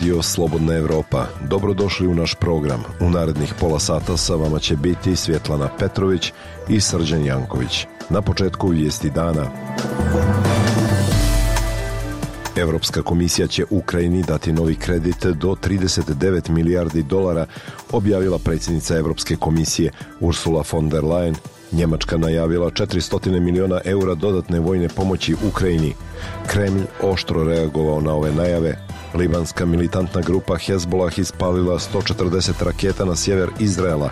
Radio Slobodna Evropa. Dobrodošli u naš program. U narednih pola sata sa vama će biti Svjetlana Petrović i Srđan Janković. Na početku vijesti dana. Evropska komisija će Ukrajini dati novi kredit do 39 milijardi dolara, objavila predsjednica Evropske komisije Ursula von der Leyen. Njemačka najavila 400 miliona eura dodatne vojne pomoći Ukrajini. Kremlj oštro reagovao na ove najave. Libanska militantna grupa Hezbollah ispalila 140 raketa na sjever Izraela.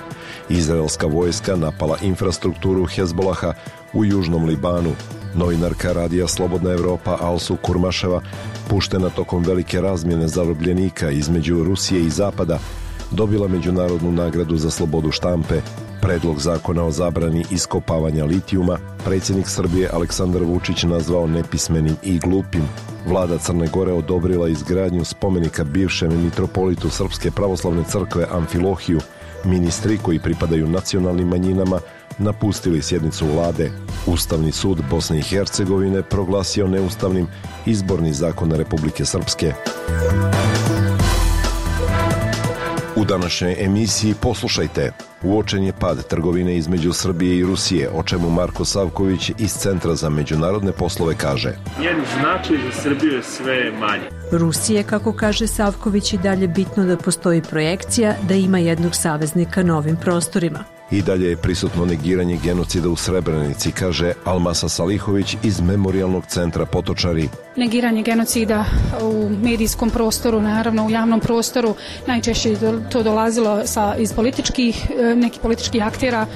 Izraelska vojska napala infrastrukturu Hezbollaha u južnom Libanu. Novinarka radija Slobodna Evropa Alsu Kurmaševa, puštena tokom velike razmjene zarobljenika između Rusije i Zapada, dobila međunarodnu nagradu za slobodu štampe. Predlog zakona o zabrani iskopavanja litijuma predsjednik Srbije Aleksandar Vučić nazvao nepismenim i glupim. Vlada Crne Gore odobrila izgradnju spomenika bivšem mitropolitu Srpske pravoslavne crkve Amfilohiju. Ministri koji pripadaju nacionalnim manjinama napustili sjednicu vlade. Ustavni sud Bosne i Hercegovine proglasio neustavnim izborni zakon Republike Srpske. U današnjoj emisiji poslušajte. Uočen je pad trgovine između Srbije i Rusije, o čemu Marko Savković iz Centra za međunarodne poslove kaže. Njen značaj za Srbiju je sve manji. Rusije, kako kaže Savković, i dalje bitno da postoji projekcija da ima jednog saveznika na ovim prostorima. I dalje je prisutno negiranje genocida u Srebrenici, kaže Almasa Salihović iz Memorijalnog centra Potočari. Negiranje genocida u medijskom prostoru, naravno u javnom prostoru, najčešće to dolazilo iz nekih političkih aktera,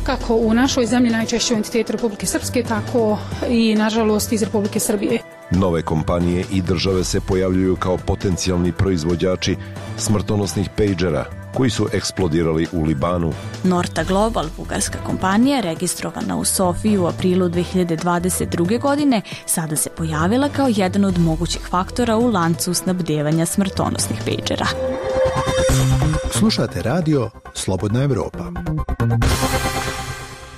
kako u našoj zemlji, najčešće u entitetu Republike Srpske, tako i nažalost iz Republike Srbije. Nove kompanije i države se pojavljuju kao potencijalni proizvođači smrtonosnih pejđera koji su eksplodirali u Libanu. Norta Global, bugarska kompanija, registrovana u Sofiji u aprilu 2022. godine, sada se pojavila kao jedan od mogućih faktora u lancu snabdevanja smrtonosnih pejđera. Slušate radio Slobodna Evropa.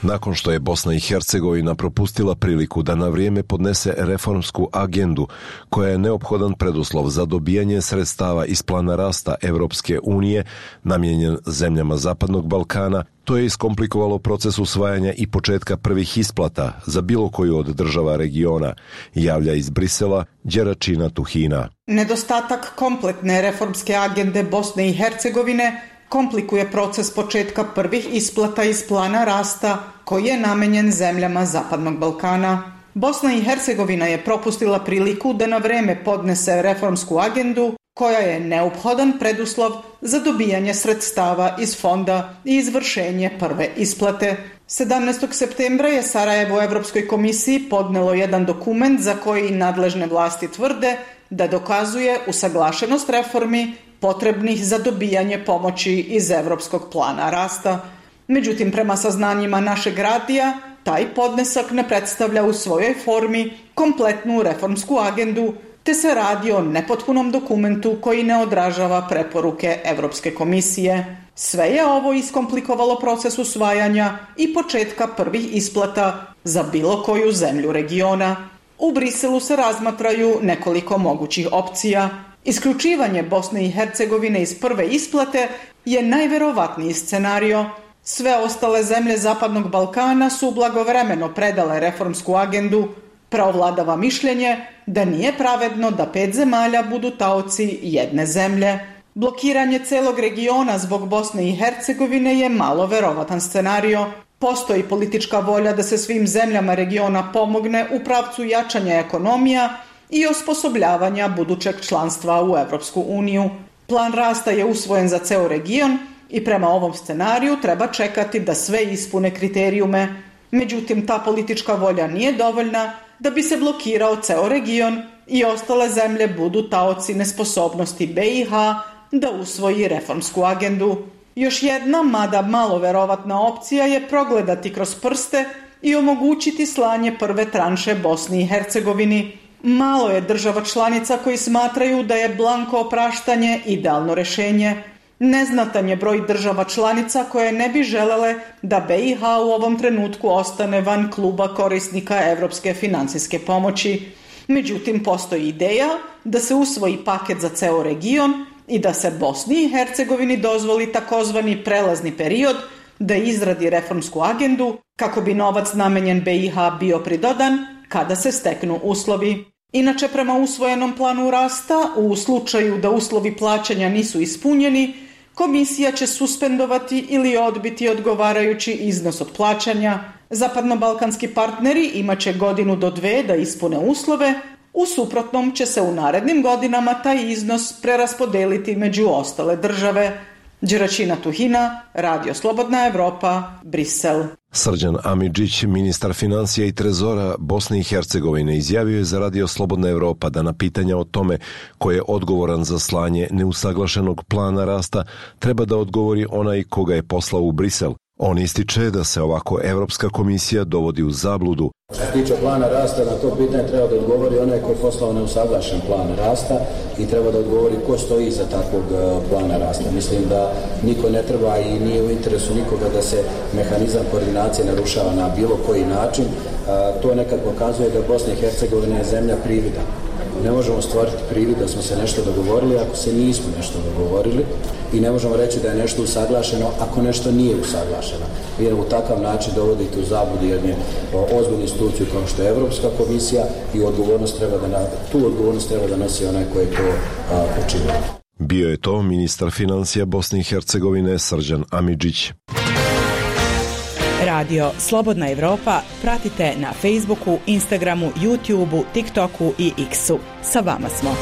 Nakon što je Bosna i Hercegovina propustila priliku da na vrijeme podnese reformsku agendu koja je neophodan preduslov za dobijanje sredstava iz plana rasta Evropske unije namijenjen zemljama Zapadnog Balkana, to je iskomplikovalo proces usvajanja i početka prvih isplata za bilo koju od država regiona, javlja iz Brisela Đeračina Tuhina. Nedostatak kompletne reformske agende Bosne i Hercegovine komplikuje proces početka prvih isplata iz plana rasta koji je namenjen zemljama Zapadnog Balkana. Bosna i Hercegovina je propustila priliku da na vreme podnese reformsku agendu koja je neophodan preduslov za dobijanje sredstava iz fonda i izvršenje prve isplate. 17. septembra je Sarajevo Evropskoj komisiji podnelo jedan dokument za koji nadležne vlasti tvrde da dokazuje usaglašenost reformi potrebnih za dobijanje pomoći iz Evropskog plana rasta. Međutim, prema saznanjima našeg radija, taj podnesak ne predstavlja u svojoj formi kompletnu reformsku agendu, te se radi o nepotpunom dokumentu koji ne odražava preporuke Evropske komisije. Sve je ovo iskomplikovalo proces usvajanja i početka prvih isplata za bilo koju zemlju regiona. U Briselu se razmatraju nekoliko mogućih opcija. Isključivanje Bosne i Hercegovine iz prve isplate je najverovatniji scenario. Sve ostale zemlje Zapadnog Balkana su blagovremeno predale reformsku agendu. Preovladava mišljenje da nije pravedno da 5 zemalja budu taoci jedne zemlje. Blokiranje celog regiona zbog Bosne i Hercegovine je malo verovatan scenario. Postoji politička volja da se svim zemljama regiona pomogne u pravcu jačanja ekonomija i osposobljavanja budućeg članstva u Evropsku uniju. Plan rasta je usvojen za ceo region i prema ovom scenariju treba čekati da sve ispune kriterijume. Međutim, ta politička volja nije dovoljna da bi se blokirao ceo region i ostale zemlje budu taoci nesposobnosti BiH da usvoji reformsku agendu. Još jedna, mada malo verovatna opcija je progledati kroz prste i omogućiti slanje prve tranše Bosni i Hercegovini. Malo je država članica koji smatraju da je blanko opraštanje idealno rješenje. Neznatan je broj država članica koje ne bi želele da BiH u ovom trenutku ostane van kluba korisnika evropske financijske pomoći. Međutim, postoji ideja da se usvoji paket za ceo region i da se Bosni i Hercegovini dozvoli takozvani prelazni period da izradi reformsku agendu kako bi novac namenjen BiH bio pridodan kada se steknu uslovi. Inače, prema usvojenom planu rasta, u slučaju da uslovi plaćanja nisu ispunjeni, komisija će suspendovati ili odbiti odgovarajući iznos od plaćanja. Zapadnobalkanski partneri imaće 1 do 2 da ispune uslove, u suprotnom će se u narednim godinama taj iznos preraspodeliti među ostale države. Đeračina Tuhina, Radio Slobodna Evropa, Brisel. Srđan Amidžić, ministar financija i trezora Bosne i Hercegovine, izjavio je za Radio Slobodna Evropa da na pitanja o tome ko je odgovoran za slanje neusaglašenog plana rasta treba da odgovori onaj koga je poslao u Brisel. On ističe da se ovako Evropska komisija dovodi u zabludu. Što se tiče plana rasta, na to pitanje treba da odgovori onaj ko je poslao neusaglašen plan rasta i treba da odgovori ko stoji iza takvog plana rasta. Mislim da niko ne treba i nije u interesu nikoga da se mehanizam koordinacije narušava na bilo koji način. To nekad pokazuje da Bosna i Hercegovina je zemlja privida. Ne možemo stvoriti privid da smo se nešto dogovorili ako se nismo nešto dogovorili i ne možemo reći da je nešto usaglašeno ako nešto nije usaglašeno. Vi u takav način dovodite u zabludu jednu ozbiljnu instituciju kao što je Evropska komisija i tu odgovornost treba da nosi onaj koji je to učinio. Bio je to ministar financija Bosne i Hercegovine Srđan Amidžić. Radio Slobodna Evropa pratite na Facebooku, Instagramu, YouTubeu, TikToku i X-u. Sa vama smo.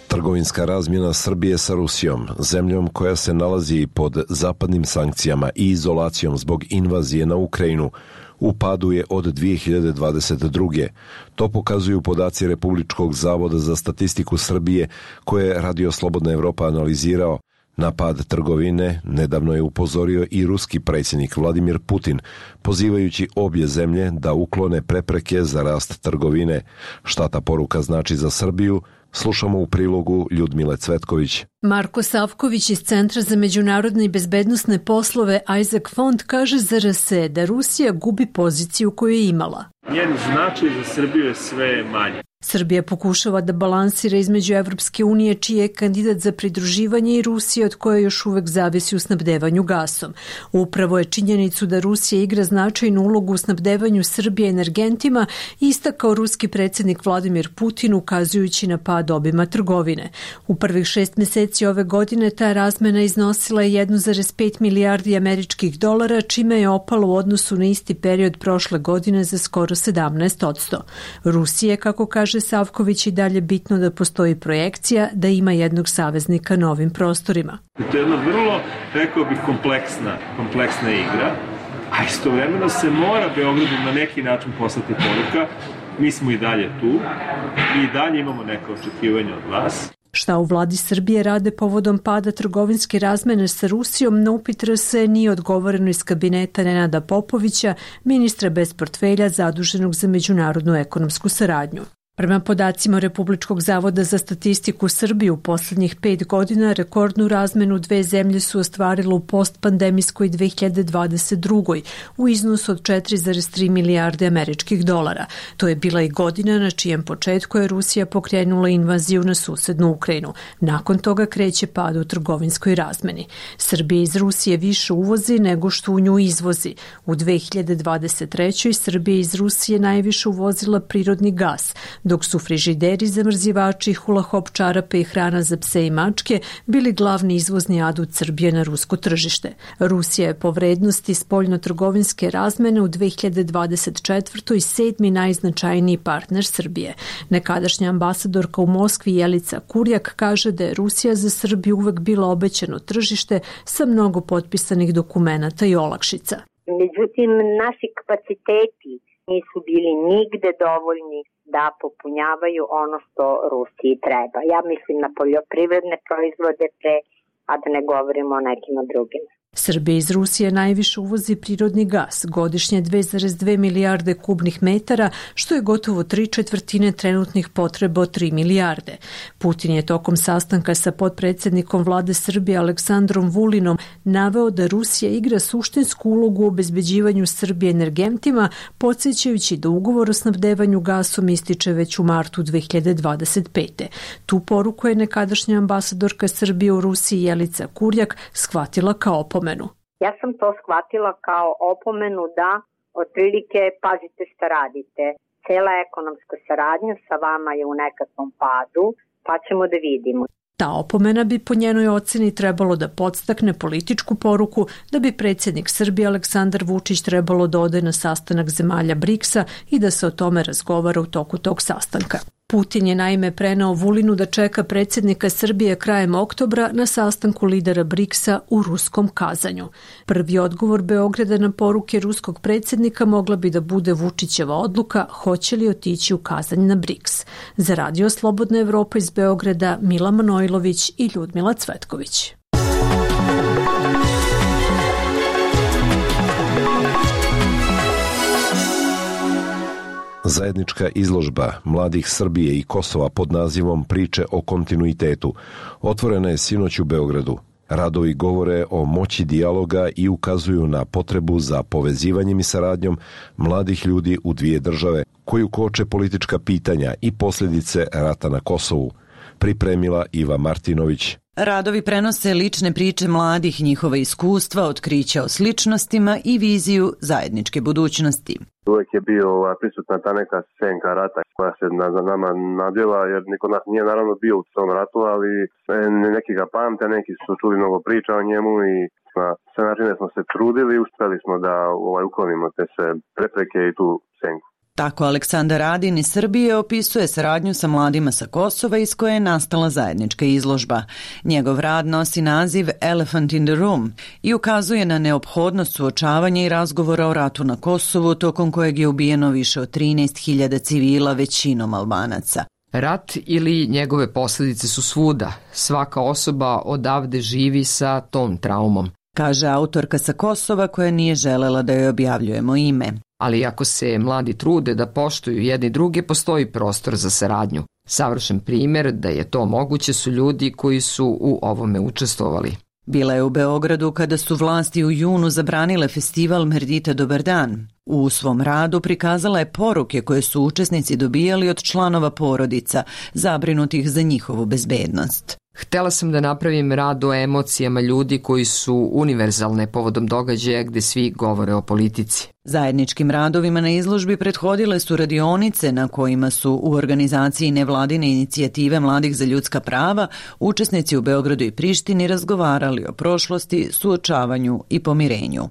Trgovinska razmjena Srbije sa Rusijom, zemljom koja se nalazi pod zapadnim sankcijama i izolacijom zbog invazije na Ukrajinu, u padu je od 2022. To pokazuju podaci Republičkog zavoda za statistiku Srbije koje je Radio Slobodna Evropa analizirao. Na pad trgovine nedavno je upozorio i ruski predsjednik Vladimir Putin, pozivajući obje zemlje da uklone prepreke za rast trgovine. Šta ta poruka znači za Srbiju? Slušamo u prilogu Ljudmile Cvetković. Marko Savković iz Centra za međunarodne i bezbednosne poslove Isaac Fond kaže za RS da Rusija gubi poziciju koju je imala. Njen značaj za Srbiju je sve manje. Srbija pokušava da balansira između Evropske unije, čiji je kandidat za pridruživanje, i Rusije, od koje još uvek zavisi u snabdevanju gasom. Upravo je činjenicu da Rusija igra značajnu ulogu u snabdevanju Srbije energentima istakao ruski predsjednik Vladimir Putin, ukazujući na pad obima trgovine. U prvih 6 meseci ove godine ta razmena iznosila je 1,5 milijardi američkih dolara, čime je opalo u odnosu na isti period prošle godine za skoro 17%. Rusije, kako kaže Savković, i dalje bitno da postoji projekcija da ima jednog saveznika na ovim prostorima. To je jedna vrlo, rekao bih, kompleksna igra, a istovremeno se mora Beogradu na neki način poslati poruka. Mi smo i dalje tu i dalje imamo neka očekivanja od vas. Šta u vladi Srbije rade povodom pada trgovinske razmene sa Rusijom, na upit RS nije odgovoreno iz kabineta Nenada Popovića, ministra bez portfelja zaduženog za međunarodnu ekonomsku saradnju. Prema podacima Republičkog zavoda za statistiku Srbije, u poslednjih 5 godina rekordnu razmenu dve zemlje su ostvarile u postpandemijskoj 2022. u iznosu od 4,3 milijarde američkih dolara. To je bila i godina na čijem početku je Rusija pokrenula invaziju na susednu Ukrajinu. Nakon toga kreće pad u trgovinskoj razmeni. Srbija iz Rusije više uvozi nego što u nju izvozi. U 2023. Srbija iz Rusije najviše uvozila prirodni gas, dok su frižideri, zamrzivači, hula-hop čarape i hrana za pse i mačke bili glavni izvozni adut Srbije na rusko tržište. Rusija je po vrednosti spoljno-trgovinske razmene u 2024. 7. najznačajniji partner Srbije. Nekadašnja ambasadorka u Moskvi Jelica Kurjak kaže da je Rusija za Srbiju uvek bila obećano tržište sa mnogo potpisanih dokumenata i olakšica. Međutim, naši kapaciteti nisu bili nigde dovoljni da popunjavaju ono što Rusiji treba. Ja mislim na poljoprivredne proizvode a da ne govorimo o nekim drugim. Srbija iz Rusije najviše uvozi prirodni gas, godišnje 2,2 milijarde kubnih metara, što je gotovo 3/4 trenutnih potreba od 3 milijarde. Putin je tokom sastanka sa potpredsjednikom vlade Srbije Aleksandrom Vulinom naveo da Rusija igra suštinsku ulogu u obezbeđivanju Srbije energentima, podsjećajući da ugovor o snabdevanju gasom ističe već u martu 2025. Tu poruku je nekadašnja ambasadorka Srbije u Rusiji Jelica Kurjak shvatila kao opomenu. Ja sam to shvatila kao opomenu da otprilike pazite šta radite. Cela ekonomska saradnja sa vama je u nekakvom padu, pa ćemo da vidimo. Ta opomena bi po njenoj oceni trebalo da podstakne političku poruku da bi predsjednik Srbije Aleksandar Vučić trebalo da ode na sastanak zemalja BRICS-a i da se o tome razgovara u toku tog sastanka. Putin je naime preneo Vulinu da čeka predsjednika Srbije krajem oktobra na sastanku lidera BRICS-a u ruskom Kazanju. Prvi odgovor Beograda na poruke ruskog predsjednika mogla bi da bude Vučićeva odluka hoće li otići u Kazanj na BRICS. Za Radio Slobodna Evropa iz Beograda Mila Manojlović i Ljudmila Cvetković. Zajednička izložba mladih Srbije i Kosova pod nazivom Priče o kontinuitetu otvorena je sinoć u Beogradu. Radovi govore o moći dijaloga i ukazuju na potrebu za povezivanjem i saradnjom mladih ljudi u dvije države, koju koče politička pitanja i posljedice rata na Kosovu. Pripremila Iva Martinović. Radovi prenose lične priče mladih, njihova iskustva, otkrića o sličnostima i viziju zajedničke budućnosti. Uvijek je bio prisutna ta neka senka rata koja se za nama nadjela, jer niko nas nije naravno bio u tom ratu, ali neki ga pamte, neki su čuli mnogo priča o njemu i na sve načine smo se trudili i uspjeli smo da uklonimo te sve prepreke i tu senku. Tako Aleksandar Radin iz Srbije opisuje saradnju sa mladima sa Kosova iz koje je nastala zajednička izložba. Njegov rad nosi naziv Elephant in the Room i ukazuje na neophodnost suočavanja i razgovora o ratu na Kosovu, tokom kojeg je ubijeno više od 13.000 civila, većinom Albanaca. Rat ili njegove posljedice su svuda. Svaka osoba odavde živi sa tom traumom, kaže autorka sa Kosova koja nije želela da joj objavljujemo ime. Ali ako se mladi trude da poštuju jedni druge, postoji prostor za saradnju. Savršen primjer da je to moguće su ljudi koji su u ovome učestvovali. Bila je u Beogradu kada su vlasti u junu zabranile festival Merdita Dobar dan. U svom radu prikazala je poruke koje su učesnici dobijali od članova porodica, zabrinutih za njihovu bezbednost. Htela sam da napravim rad o emocijama ljudi koji su univerzalne povodom događaja gde svi govore o politici. Zajedničkim radovima na izložbi prethodile su radionice na kojima su u organizaciji nevladine inicijative Mladih za ljudska prava učesnici u Beogradu i Prištini razgovarali o prošlosti, suočavanju i pomirenju.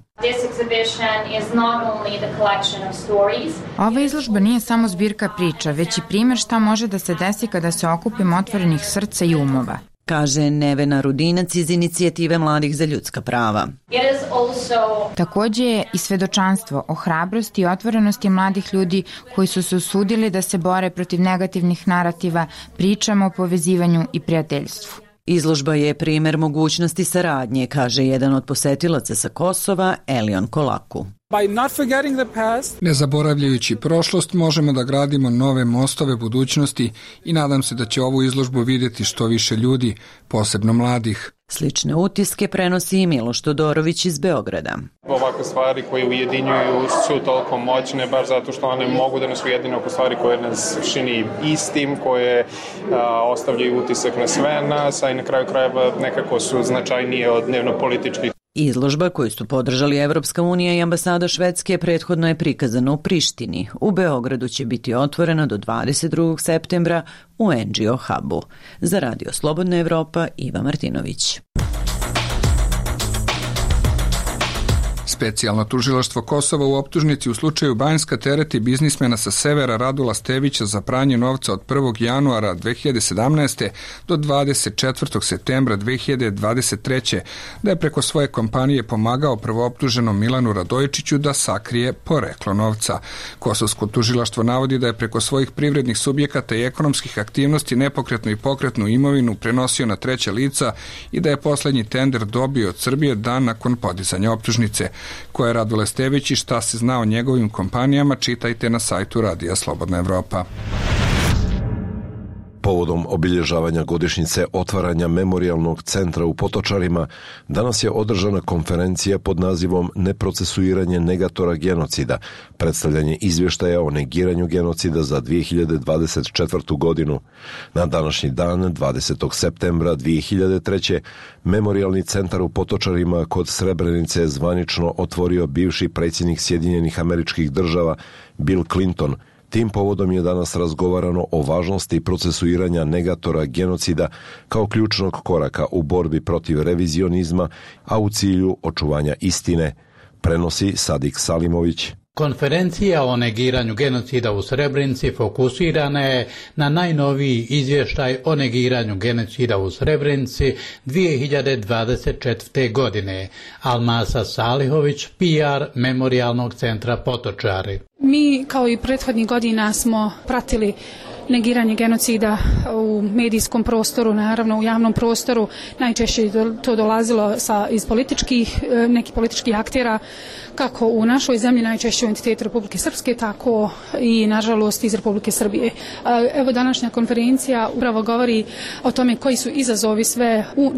Ova izložba nije samo zbirka priča, već i primjer šta može da se desi kada se okupimo otvorenih srca i umova, kaže Nevena Rudinac iz inicijative Mladih za ljudska prava. Također je i svedočanstvo o hrabrosti i otvorenosti mladih ljudi koji su se usudili da se bore protiv negativnih narativa, pričama o povezivanju i prijateljstvu. Izložba je primjer mogućnosti saradnje, kaže jedan od posetilaca sa Kosova, Elion Kolaku. Ne zaboravljajući prošlost, možemo da gradimo nove mostove budućnosti i nadam se da će ovu izložbu vidjeti što više ljudi, posebno mladih. Slične utiske prenosi i Miloš Todorović iz Beograda. Ovakve stvari koje ujedinjuju su toliko moćne, baš zato što one mogu da nas ujedine oko stvari koje nas čini istim, koje ostavljaju utisak na sve nas, a i na kraju krajeva nekako su značajnije od dnevno-političkih. Izložba koju su podržali Evropska unija i ambasada Švedske prethodno je prikazana u Prištini. U Beogradu će biti otvorena do 22. septembra u NGO Hubu. Za Radio Slobodna Evropa, Iva Martinović. Specijalno tužilaštvo Kosova u optužnici u slučaju Banjska tereti biznismena sa severa Radula Stevića za pranje novca od 1. januara 2017. do 24. septembra 2023. da je preko svoje kompanije pomagao prvooptuženom Milanu Radojičiću da sakrije poreklo novca. Kosovsko tužilaštvo navodi da je preko svojih privrednih subjekata i ekonomskih aktivnosti nepokretnu i pokretnu imovinu prenosio na treća lica i da je poslednji tender dobio od Srbije dan nakon podizanja optužnice. Ko je Radule Stević i šta se zna o njegovim kompanijama, čitajte na sajtu Radija Slobodna Evropa. Povodom obilježavanja godišnjice otvaranja memorijalnog centra u Potočarima, danas je održana konferencija pod nazivom Neprocesuiranje negatora genocida, predstavljanje izvještaja o negiranju genocida za 2024. godinu. Na današnji dan, 20. septembra 2003. Memorijalni centar u Potočarima kod Srebrenice je zvanično otvorio bivši predsjednik Sjedinjenih Američkih Država Bill Clinton. Tim povodom je danas razgovarano o važnosti procesuiranja negatora genocida kao ključnog koraka u borbi protiv revizionizma, a u cilju očuvanja istine, prenosi Sadik Salimović. Konferencija o negiranju genocida u Srebrenici fokusirana je na najnoviji izvještaj o negiranju genocida u Srebrenici 2024. godine. Almasa Salihović, PR Memorijalnog centra Potočari. Mi kao i prethodnih godina smo pratili negiranje genocida u medijskom prostoru, naravno u javnom prostoru. Najčešće to dolazilo iz nekih političkih aktera, kako u našoj zemlji, najčešće u entitetu Republike Srpske, tako i nažalost iz Republike Srbije. Evo, današnja konferencija upravo govori o tome koji su izazovi sve u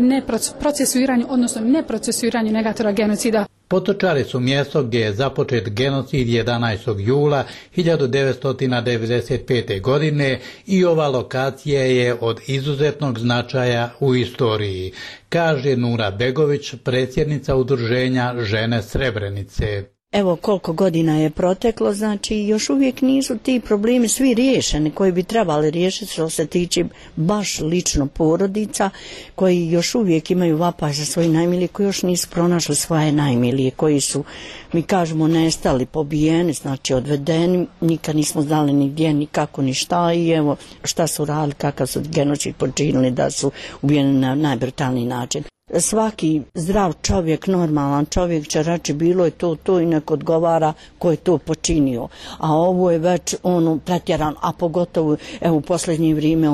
procesuiranju, odnosno neprocesuiranju negatora genocida. Potočari su mjesto gdje je započet genocid 11. jula 1995. godine i ova lokacija je od izuzetnog značaja u istoriji, kaže Nura Begović, predsjednica udruženja Žene Srebrenice. Evo koliko godina je proteklo, znači još uvijek nisu ti problemi svi riješeni koji bi trebali riješiti što se tiče baš lično porodica koji još uvijek imaju vapaj za svoji najmilije, koji još nisu pronašli svoje najmilije, koji su, mi kažemo, nestali, pobijeni, znači odvedeni, nikad nismo znali ni gdje, ni kako, ni šta i evo šta su radili, kakav su genocid počinili da su ubijeni na najbrutalniji način. Svaki zdrav čovjek, normalan čovjek će reći bilo je to i nek odgovara ko je to počinio. A ovo je već pretjeran, a pogotovo u posljednje vrijeme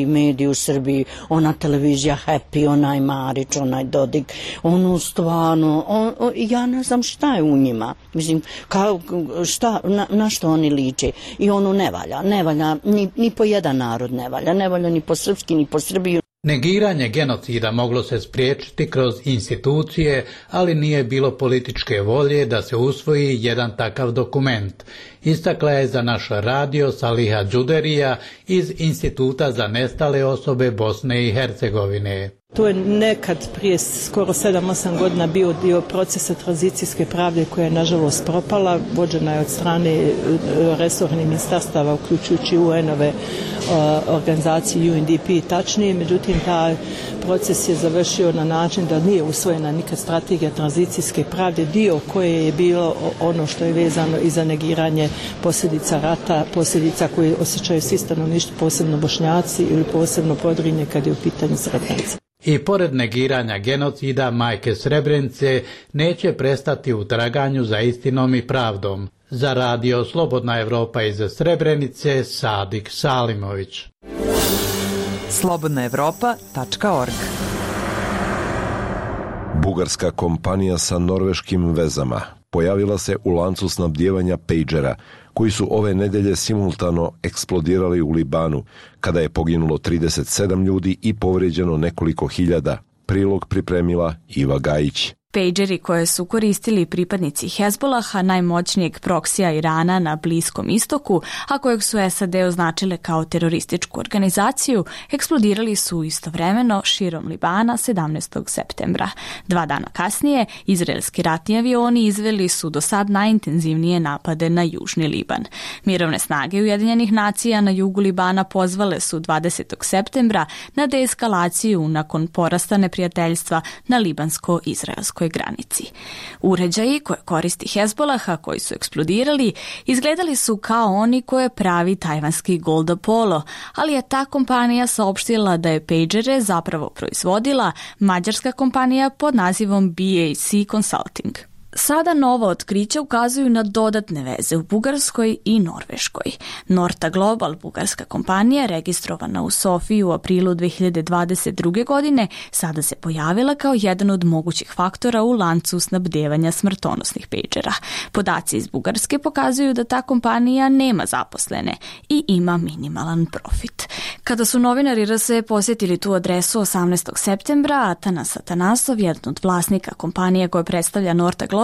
mediji u Srbiji, ona televizija Happy, onaj Marić, onaj Dodik, stvarno, ja ne znam šta je u njima. Mislim, na što oni liče. I ne valja, ni po jedan narod ne valja ni po srpski, ni po Srbiju. Negiranje genocida moglo se spriječiti kroz institucije, ali nije bilo političke volje da se usvoji jedan takav dokument. Istakla je za naš radio Saliha Đuderija iz Instituta za nestale osobe Bosne i Hercegovine. To je nekad prije skoro 7-8 godina bio dio procesa tranzicijske pravde koja je nažalost propala, vođena je od strane resornih ministarstava uključujući UN-ove organizacije UNDP tačnije, međutim taj proces je završio na način da nije usvojena nikad strategija tranzicijske pravde, dio koje je bilo ono što je vezano i za negiranje posljedica rata, posljedica koje osjećaju svi stanovništvo, posebno Bošnjaci ili posebno Podrinje kad je u pitanju Srebrenica. I pored negiranja genocida, majke Srebrenice neće prestati u traganju za istinom i pravdom. Za radio Slobodna Evropa iz Srebrenice, Sadik Salimović. slobodnaevropa.org. Bugarska kompanija sa norveškim vezama pojavila se u lancu snabdijevanja pejđera, koji su ove nedelje simultano eksplodirali u Libanu, kada je poginulo 37 ljudi i povrijeđeno nekoliko hiljada. Prilog pripremila Iva Gajić. Pejđeri koje su koristili pripadnici Hezbolaha, najmoćnijeg proksija Irana na Bliskom istoku, a kojeg su SAD označile kao terorističku organizaciju, eksplodirali su istovremeno širom Libana 17. septembra. 2 dana kasnije, izraelski ratni avioni izveli su do sad najintenzivnije napade na južni Liban. Mirovne snage Ujedinjenih nacija na jugu Libana pozvale su 20. septembra na deeskalaciju nakon porasta neprijateljstva na libansko-izraelskom turskoj granici. Uređaji koje koristi Hezbolaha koji su eksplodirali izgledali su kao oni koje pravi tajvanski Golda Polo, ali je ta kompanija saopštila da je pagere zapravo proizvodila mađarska kompanija pod nazivom BAC Consulting. Sada nova otkrića ukazuju na dodatne veze u Bugarskoj i Norveškoj. Norta Global, bugarska kompanija registrovana u Sofiji u aprilu 2022. godine, sada se pojavila kao jedan od mogućih faktora u lancu snabdevanja smrtonosnih pagera. Podaci iz Bugarske pokazuju da ta kompanija nema zaposlene i ima minimalan profit. Kada su novinari RSE posjetili tu adresu 18. septembra, Atanas Atanasov, jedan od vlasnika kompanije koja predstavlja Norta Global,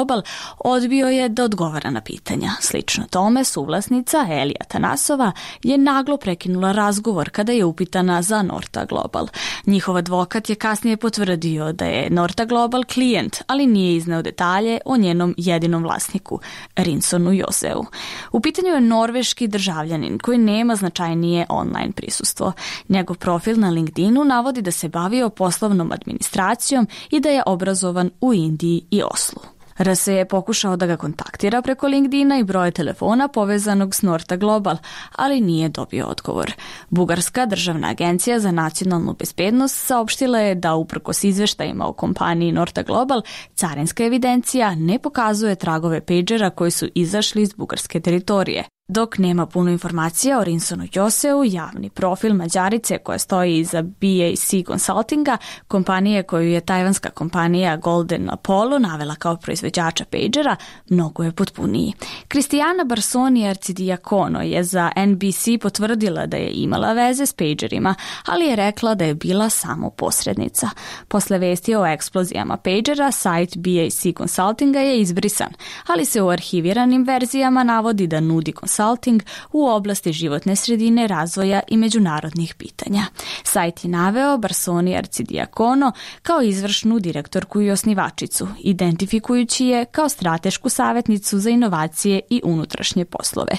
odbio je da odgovara na pitanja. Slično tome, suvlasnica Elija Atanasova je naglo prekinula razgovor kada je upitana za Norta Global. Njihov advokat je kasnije potvrdio da je Norta Global klijent, ali nije izneo detalje o njenom jedinom vlasniku, Rinsonu Joseu. U pitanju je norveški državljanin koji nema značajnije online prisustvo. Njegov profil na LinkedInu navodi da se bavio poslovnom administracijom i da je obrazovan u Indiji i Oslu. RSE je pokušao da ga kontaktira preko LinkedIna i broja telefona povezanog s Norta Global, ali nije dobio odgovor. Bugarska državna agencija za nacionalnu bezbednost saopštila je da uprkos izveštajima o kompaniji Norta Global, carinska evidencija ne pokazuje tragove pagera koji su izašli iz bugarske teritorije. Dok nema puno informacija o Rinsonu Joseu, javni profil Mađarice koja stoji iza BAC Consultinga, kompanije koju je tajvanska kompanija Golden Apollo navela kao proizvođača pagera, mnogo je potpuniji. Kristijana Barsoni Arcidiakono je za NBC potvrdila da je imala veze s pagerima, ali je rekla da je bila samo posrednica. Posle vesti o eksplozijama pagera, sajt BAC Consultinga je izbrisan, ali se u arhiviranim verzijama navodi da nudi consulting u oblasti životne sredine, razvoja i međunarodnih pitanja. Sajt je naveo Barsoni Arcidiakono kao izvršnu direktorku i osnivačicu, identifikujući je kao stratešku savjetnicu za inovacije i unutrašnje poslove.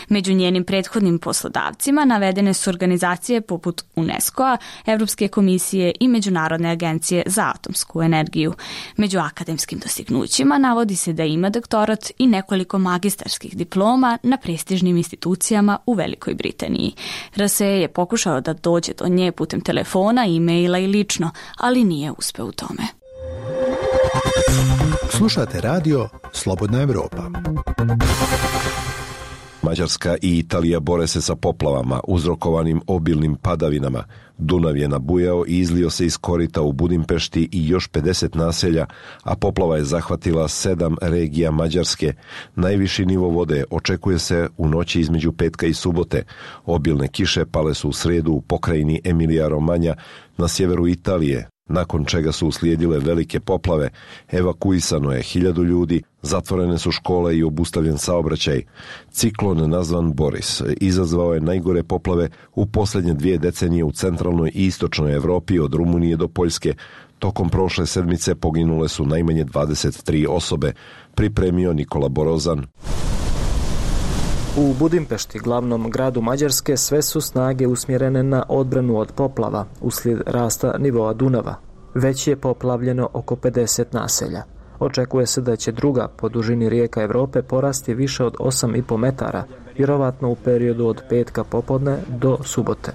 Među njenim prethodnim poslodavcima navedene su organizacije poput UNESCO-a, Evropske komisije i Međunarodne agencije za atomsku energiju. Među akademskim dostignućima navodi se da ima doktorat i nekoliko magistarskih diploma na prestižnim institucijama u Velikoj Britaniji. RSE je pokušao da dođe do nje putem telefona, e-maila i lično, ali nije uspeo u tome. Slušate radio Slobodna Evropa. Mađarska i Italija bore se sa poplavama uzrokovanim obilnim padavinama. Dunav je nabujao i izlio se iz korita u Budimpešti i još 50 naselja, a poplava je zahvatila 7 regija Mađarske. Najviši nivo vode očekuje se u noći između petka i subote. Obilne kiše pale su u sredu u pokrajini Emilija-Romanja na sjeveru Italije, nakon čega su uslijedile velike poplave. Evakuisano je 1000 ljudi, zatvorene su škole i obustavljen saobraćaj. Ciklon nazvan Boris izazvao je najgore poplave u posljednje 2 decenije u centralnoj i istočnoj Evropi od Rumunije do Poljske. Tokom prošle sedmice poginule su najmanje 23 osobe, pripremio Nikola Borozan. U Budimpešti, glavnom gradu Mađarske, sve su snage usmjerene na odbranu od poplava uslijed rasta nivoa Dunava. Već je poplavljeno oko 50 naselja. Očekuje se da će druga po dužini rijeka Evrope porasti više od 8,5 metara, vjerovatno u periodu od petka popodne do subote.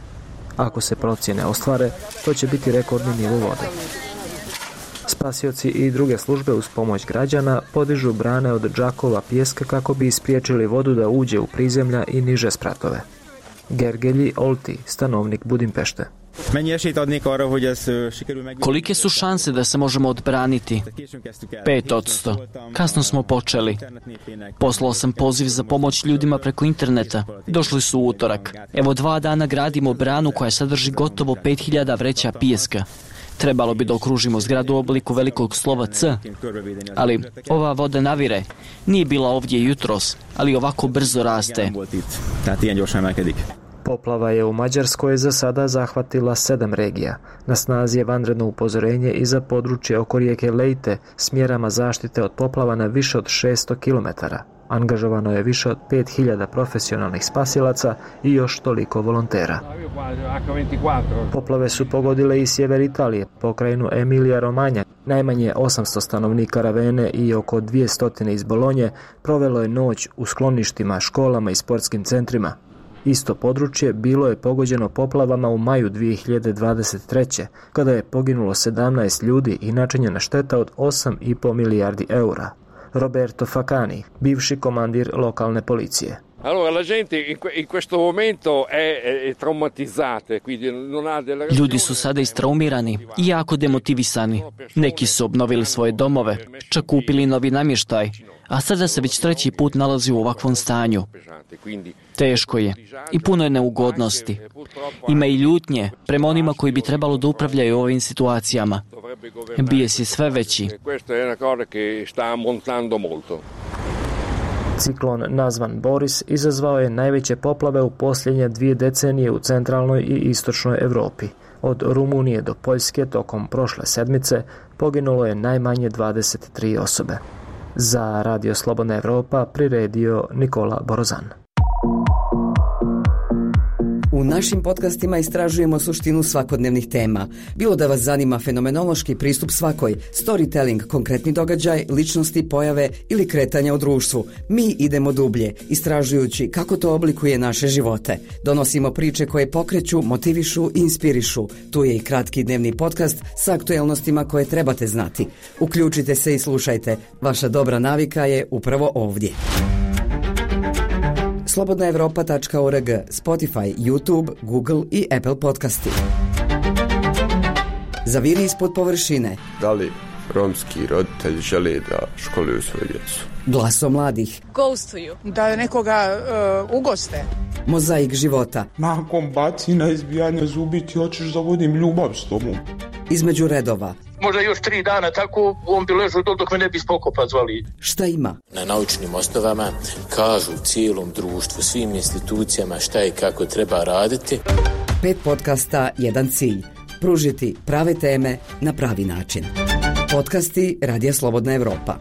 Ako se procjene ostvare, to će biti rekordni nivo vode. Spasioci i druge službe uz pomoć građana podižu brane od džakova pijeska kako bi ispriječili vodu da uđe u prizemlja i niže spratove. Gergelji Olti, stanovnik Budimpešte. Kolike su šanse da se možemo odbraniti? 5%. Kasno smo počeli. Poslao sam poziv za pomoć ljudima preko interneta. Došli su u utorak. Evo 2 dana gradimo branu koja sadrži gotovo 5000 vreća pijeska. Trebalo bi da okružimo zgradu u obliku velikog slova C, ali ova voda navire. Nije bila ovdje jutros, ali ovako brzo raste. Poplava je u Mađarskoj za sada zahvatila 7 regija. Na snazi je vanredno upozorenje i za područje oko rijeke Lejte s mjerama zaštite od poplava na više od 600 km. Angažovano je više od 5000 profesionalnih spasilaca i još toliko volontera. Poplave su pogodile i sjever Italije, pokrajinu Emilija Romanja. Najmanje 800 stanovnika Ravene i oko 200 iz Bolonje provelo je noć u skloništima, školama i sportskim centrima. Isto područje bilo je pogođeno poplavama u maju 2023. kada je poginulo 17 ljudi i načinjena šteta od 8,5 milijardi eura. Roberto Facani, bivši komandir lokalne policije. Ljudi su sada istraumirani i jako demotivisani. Neki su obnovili svoje domove, čak kupili novi namještaj, a sada se već 3. put nalazi u ovakvom stanju. Teško je i puno je neugodnosti. Ima i ljutnje prema onima koji bi trebalo da upravljaju ovim situacijama. Bijes je sve veći. Ciklon nazvan Boris izazvao je najveće poplave u posljednje 2 decenije u centralnoj i istočnoj Europi. Od Rumunije do Poljske tokom prošle sedmice poginulo je najmanje 23 osobe. Za Radio Slobodna Evropa priredio Nikola Borozan. U našim podcastima istražujemo suštinu svakodnevnih tema. Bilo da vas zanima fenomenološki pristup svakoj, storytelling, konkretni događaj, ličnosti, pojave ili kretanja u društvu. Mi idemo dublje, istražujući kako to oblikuje naše živote. Donosimo priče koje pokreću, motivišu i inspirišu. Tu je i kratki dnevni podcast sa aktuelnostima koje trebate znati. Uključite se i slušajte. Vaša dobra navika je upravo ovdje. slobodnaevropa.org, Spotify, YouTube, Google i Apple podcasti. Zaviri ispod površine. Da li romski roditelji žele da školuju svoju djecu? Glaso mladih. Ghostuju. Da nekoga ugoste. Mozaik života. Nakon bacina, izbijanja zubi ti hoćeš da vodim ljubav s tobom. Između redova. Možda još 3 dana tako, on bi ležao dok me ne bi spokopa zvali. Šta ima? Na naučnim osnovama kažu cijelom društvu, svim institucijama šta i kako treba raditi. 5 podcasta, 1 cilj. Pružiti prave teme na pravi način. Podcasti Radija Slobodna Evropa.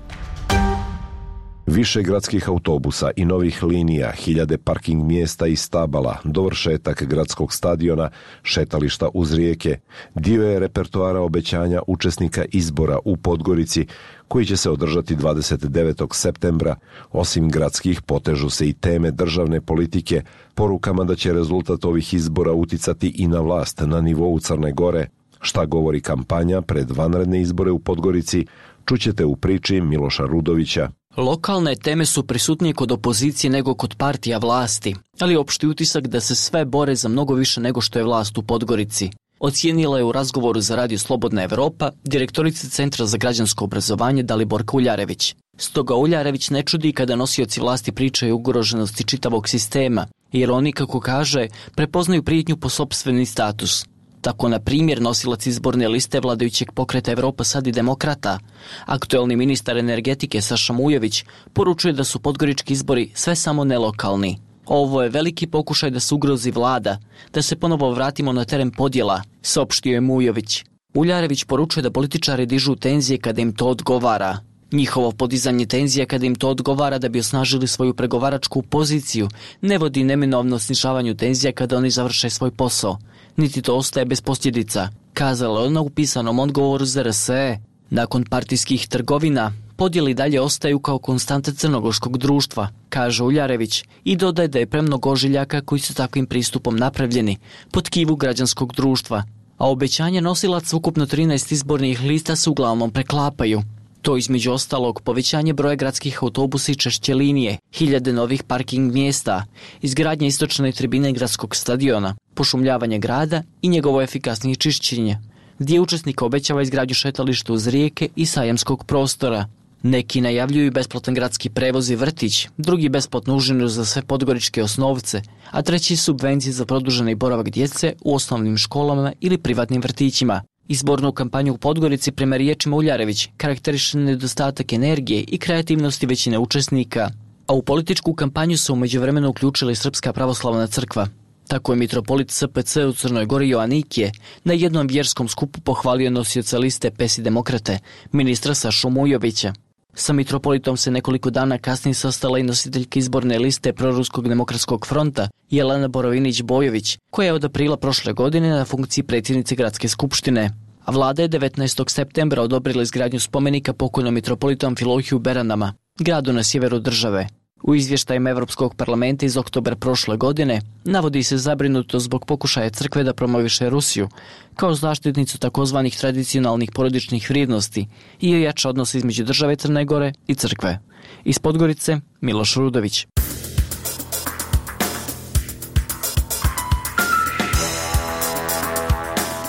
Više gradskih autobusa i novih linija, 1000 parking mjesta i stabala, dovršetak gradskog stadiona, šetališta uz rijeke, dio je repertoara obećanja učesnika izbora u Podgorici, koji će se održati 29. septembra. Osim gradskih, potežu se i teme državne politike, porukama da će rezultat ovih izbora uticati i na vlast na nivou Crne Gore. Šta govori kampanja pred vanredne izbore u Podgorici, čućete u priči Miloša Rudovića. Lokalne teme su prisutnije kod opozicije nego kod partija vlasti, ali opšti utisak da se sve bore za mnogo više nego što je vlast u Podgorici. Ocijenila je u razgovoru za Radio Slobodna Evropa direktorica Centra za građansko obrazovanje Daliborka Uljarević. Stoga Uljarević ne čudi kada nosioci vlasti pričaju o ugroženosti čitavog sistema, jer oni, kako kaže, prepoznaju prijetnju po sopstveni status. Tako, na primjer, nosilac izborne liste vladajućeg pokreta Evropa sad i demokrata, aktuelni ministar energetike Saša Mujović, poručuje da su podgorički izbori sve samo nelokalni. Ovo je veliki pokušaj da se ugrozi vlada, da se ponovo vratimo na teren podjela, saopštio je Mujović. Uljarević poručuje da političari dižu tenzije kada im to odgovara. Njihovo podizanje tenzija kada im to odgovara da bi osnažili svoju pregovaračku poziciju ne vodi neminovno snižavanju tenzija kada oni završe svoj posao. Niti to ostaje bez posljedica, kazala ona u pisanom odgovoru za RSE. Nakon partijskih trgovina, podjeli dalje ostaju kao konstante crnogorskog društva, kaže Uljarević, i dodaje da je premnogo ožiljaka koji su takvim pristupom napravljeni pod kivu građanskog društva, a obećanja nosilaca ukupno 13 izbornih lista se uglavnom preklapaju. To između ostalog povećanje broja gradskih autobusa i češće linije, 1000 novih parking mjesta, izgradnja istočne tribine gradskog stadiona, pošumljavanje grada i njegovo efikasnije čišćenje. Dio učesnika obećava izgradnju šetališta uz rijeke i sajamskog prostora. Neki najavljuju besplatan gradski prevoz i vrtić, drugi besplatnu užinu za sve podgoričke osnovce, a treći subvencije za produženi boravak djece u osnovnim školama ili privatnim vrtićima. Izbornu kampanju u Podgorici, prema riječima Uljarević, karakteriše nedostatak energije i kreativnosti većine učesnika. A u političku kampanju se u međuvremenu uključila i Srpska pravoslavna crkva. Tako je mitropolit SPC u Crnoj Gori Joanikije na jednom vjerskom skupu pohvalio nosioca liste PES i Demokrate, ministra Sašu Mujovića. Sa mitropolitom se nekoliko dana kasnije sastala i nositeljka izborne liste Proruskog demokratskog fronta Jelena Borovinić-Bojović, koja je od aprila prošle godine na funkciji predsjednice gradske skupštine. A vlada je 19. septembra odobrila izgradnju spomenika pokojnom mitropolitu Amfilohiju Beranama, gradu na sjeveru države. U izvještajima Evropskog parlamenta iz oktobra prošle godine navodi se zabrinuto zbog pokušaja crkve da promoviše Rusiju kao zaštitnicu takozvanih tradicionalnih porodičnih vrijednosti i ojača odnos između države Crne Gore i crkve. Iz Podgorice, Miloš Rudović.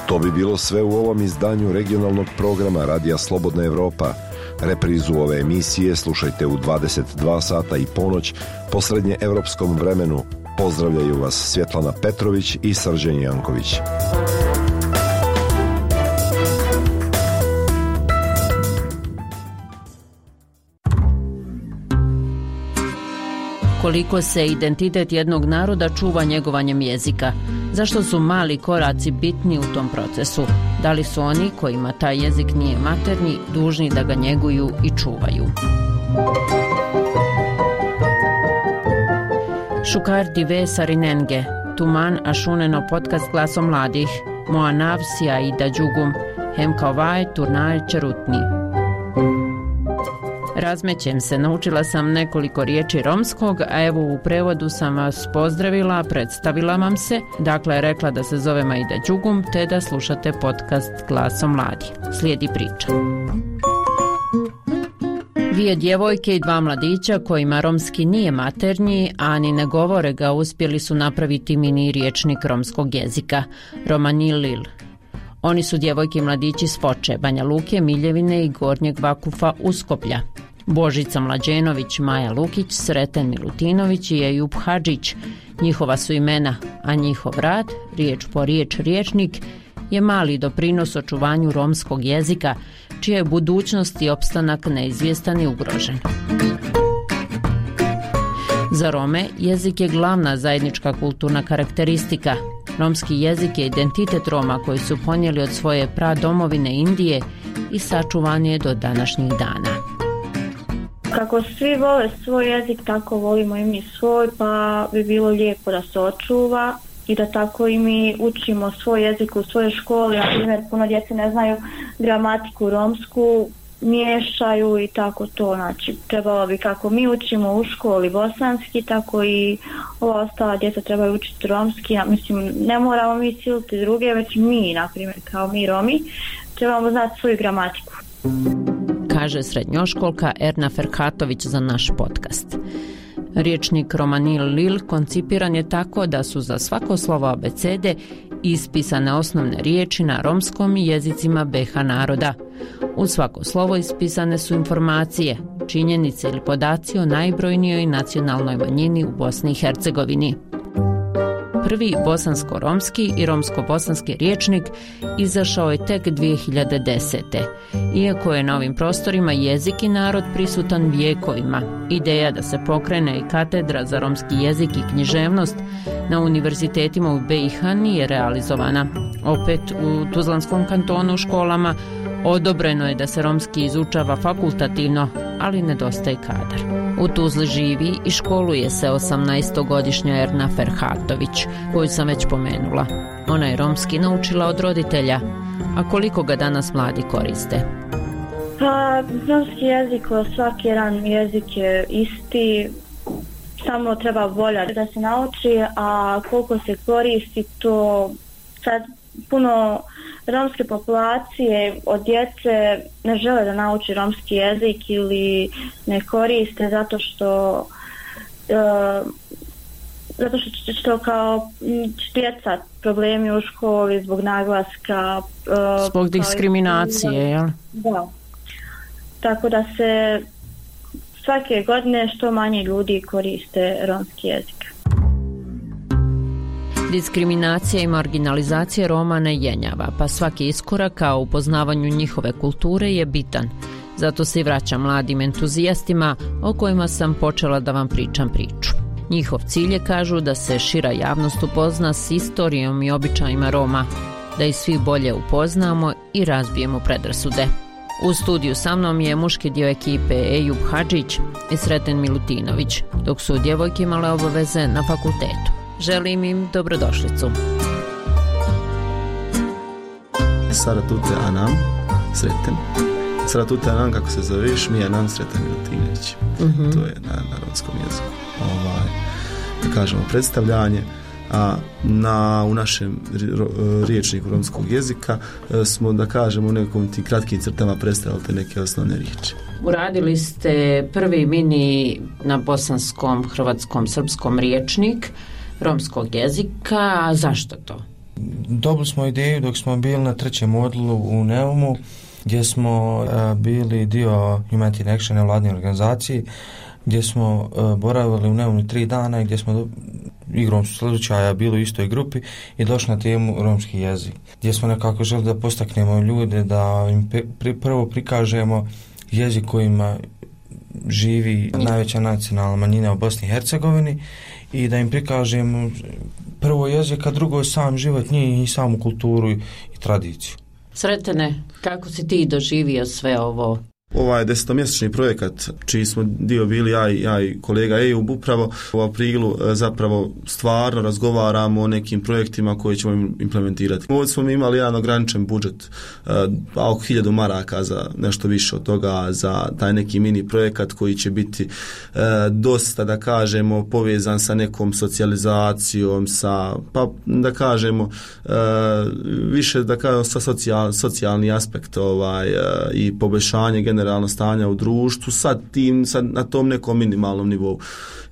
To bi bilo sve u ovom izdanju regionalnog programa Radija Slobodna Evropa. Reprizu ove emisije slušajte u 22 sata i ponoć po srednjeevropskom vremenu. Pozdravljaju vas Svjetlana Petrović i Srđan Janković. Koliko se identitet jednog naroda čuva njegovanjem jezika? Zašto su mali koraci bitni u tom procesu? Da li su oni kojima taj jezik nije maternji dužni da ga njeguju i čuvaju? Šukar dive sarinenge, tuman ašuneno podcast Glasom mladih, moa navsija i da džugum, hem kao vaj turnaj čerutni. Razmećem se, naučila sam nekoliko riječi romskog, a evo u prevodu sam vas pozdravila, predstavila vam se, dakle rekla da se zove Majda Đugum, te da slušate podcast Glasom mladih. Slijedi priča. Dvije djevojke i dva mladića kojima romski nije maternji, a ni ne govore ga, uspjeli su napraviti mini riječnik romskog jezika, Romanil Lil. Oni su djevojke i mladići s Foče, Banja Luke, Miljevine i Gornjeg Vakufa Uskoplja. Božica Mlađenović, Maja Lukić, Sreten Milutinović i Ejup Hadžić. Njihova su imena, a njihov rad, riječ po riječ riječnik, je mali doprinos očuvanju romskog jezika, čija je budućnost i opstanak neizvjestan i ugrožen. Za Rome jezik je glavna zajednička kulturna karakteristika. Romski jezik je identitet Roma koji su ponijeli od svoje pradomovine Indije i sačuvan je do današnjih dana. Kako svi vole svoj jezik, tako volimo i mi svoj, pa bi bilo lijepo da se očuva i da tako i mi učimo svoj jezik u svojoj školi. Na primjer, puno djece ne znaju gramatiku romsku, miješaju i tako to. Znači, trebalo bi kako mi učimo u školi bosanski, tako i ova ostala djeca trebaju učiti romski. Mislim, ne moramo mi siliti druge, već mi, na primjer, kao mi Romi, trebamo znati svoju gramatiku. Kaže srednjoškolka Erna Ferhatović za naš podcast. Riječnik Romanil Lil koncipiran je tako da su za svako slovo abecede ispisane osnovne riječi na romskom i jezicima BiH naroda. U svako slovo ispisane su informacije, činjenice ili podaci o najbrojnijoj nacionalnoj manjini u Bosni i Hercegovini. Prvi bosansko-romski i romsko-bosanski riječnik izašao je tek 2010. Iako je na ovim prostorima jezik i narod prisutan vijekovima, ideja da se pokrene i katedra za romski jezik i književnost na univerzitetima u BiH nije realizovana. Opet u Tuzlanskom kantonu u školama odobreno je da se romski izučava fakultativno, ali nedostaje kadar. U Tuzli živi i školuje se 18-godišnja Erna Ferhatović, koju sam već pomenula. Ona je romski naučila od roditelja, a koliko ga danas mladi koriste? Pa, romski jezik, svaki jedan jezik je isti, samo treba volja da se nauči, a koliko se koristi to sad puno romske populacije od djece ne žele da nauči romski jezik ili ne koriste zato što kao djeca problemi u školi zbog naglaska, zbog diskriminacije, jel? Da. Tako da se svake godine što manje ljudi koriste romski jezik. Diskriminacija i marginalizacija Roma ne jenjava, pa svaki iskorak ka upoznavanju njihove kulture je bitan. Zato se i vraćam mladim entuzijastima o kojima sam počela da vam pričam priču. Njihov cilj je, kažu, da se šira javnost upozna s istorijom i običajima Roma, da ih svi bolje upoznamo i razbijemo predrasude. U studiju sa mnom je muški dio ekipe Ejub Hadžić i Sreten Milutinović, dok su djevojke imale obaveze na fakultetu. Želim im dobrodošlicu. Saratute Anam, Sreten. Saratute Anam, kako se zoveš, mi je Anam Sreten Milutinović. To je na romskom jeziku. Da kažemo predstavljanje. A u našem riječniku romskog jezika smo, da kažemo, u nekom tim kratkim crtama predstavili te neke osnovne riječi. Uradili ste prvi mini na bosanskom, hrvatskom, srpskom riječnik romskog jezika. A zašto to? Dobili smo ideju dok smo bili na 3. modulu u Neumu, gdje smo bili dio Humanity Action, nevladne organizacije, gdje smo boravili u Neumu 3 dana i gdje smo igrom slučaja bili u istoj grupi i došli na temu romski jezik, gdje smo nekako želi da postaknemo ljude, da im prvo prikažemo jezik kojima živi najveća nacionalna manjina u Bosni i Hercegovini i da im prikažemo prvo jezik, a drugo sam život njih i samu kulturu i tradiciju. Sretene, kako si ti doživio sve ovo? Ovaj 10-mjesečni projekat, čiji smo dio bili ja i kolega Ejub, upravo u aprilu zapravo stvarno razgovaramo o nekim projektima koje ćemo implementirati. Ovdje smo imali jedan ograničen budžet, oko 1000 maraka za nešto više od toga, za taj neki mini projekat koji će biti dosta, da kažemo, povezan sa nekom socijalizacijom, pa da kažemo više, da kažemo, sa socijalni aspekt i poboljšanje generalno stanja u društvu sad na tom nekom minimalnom nivou.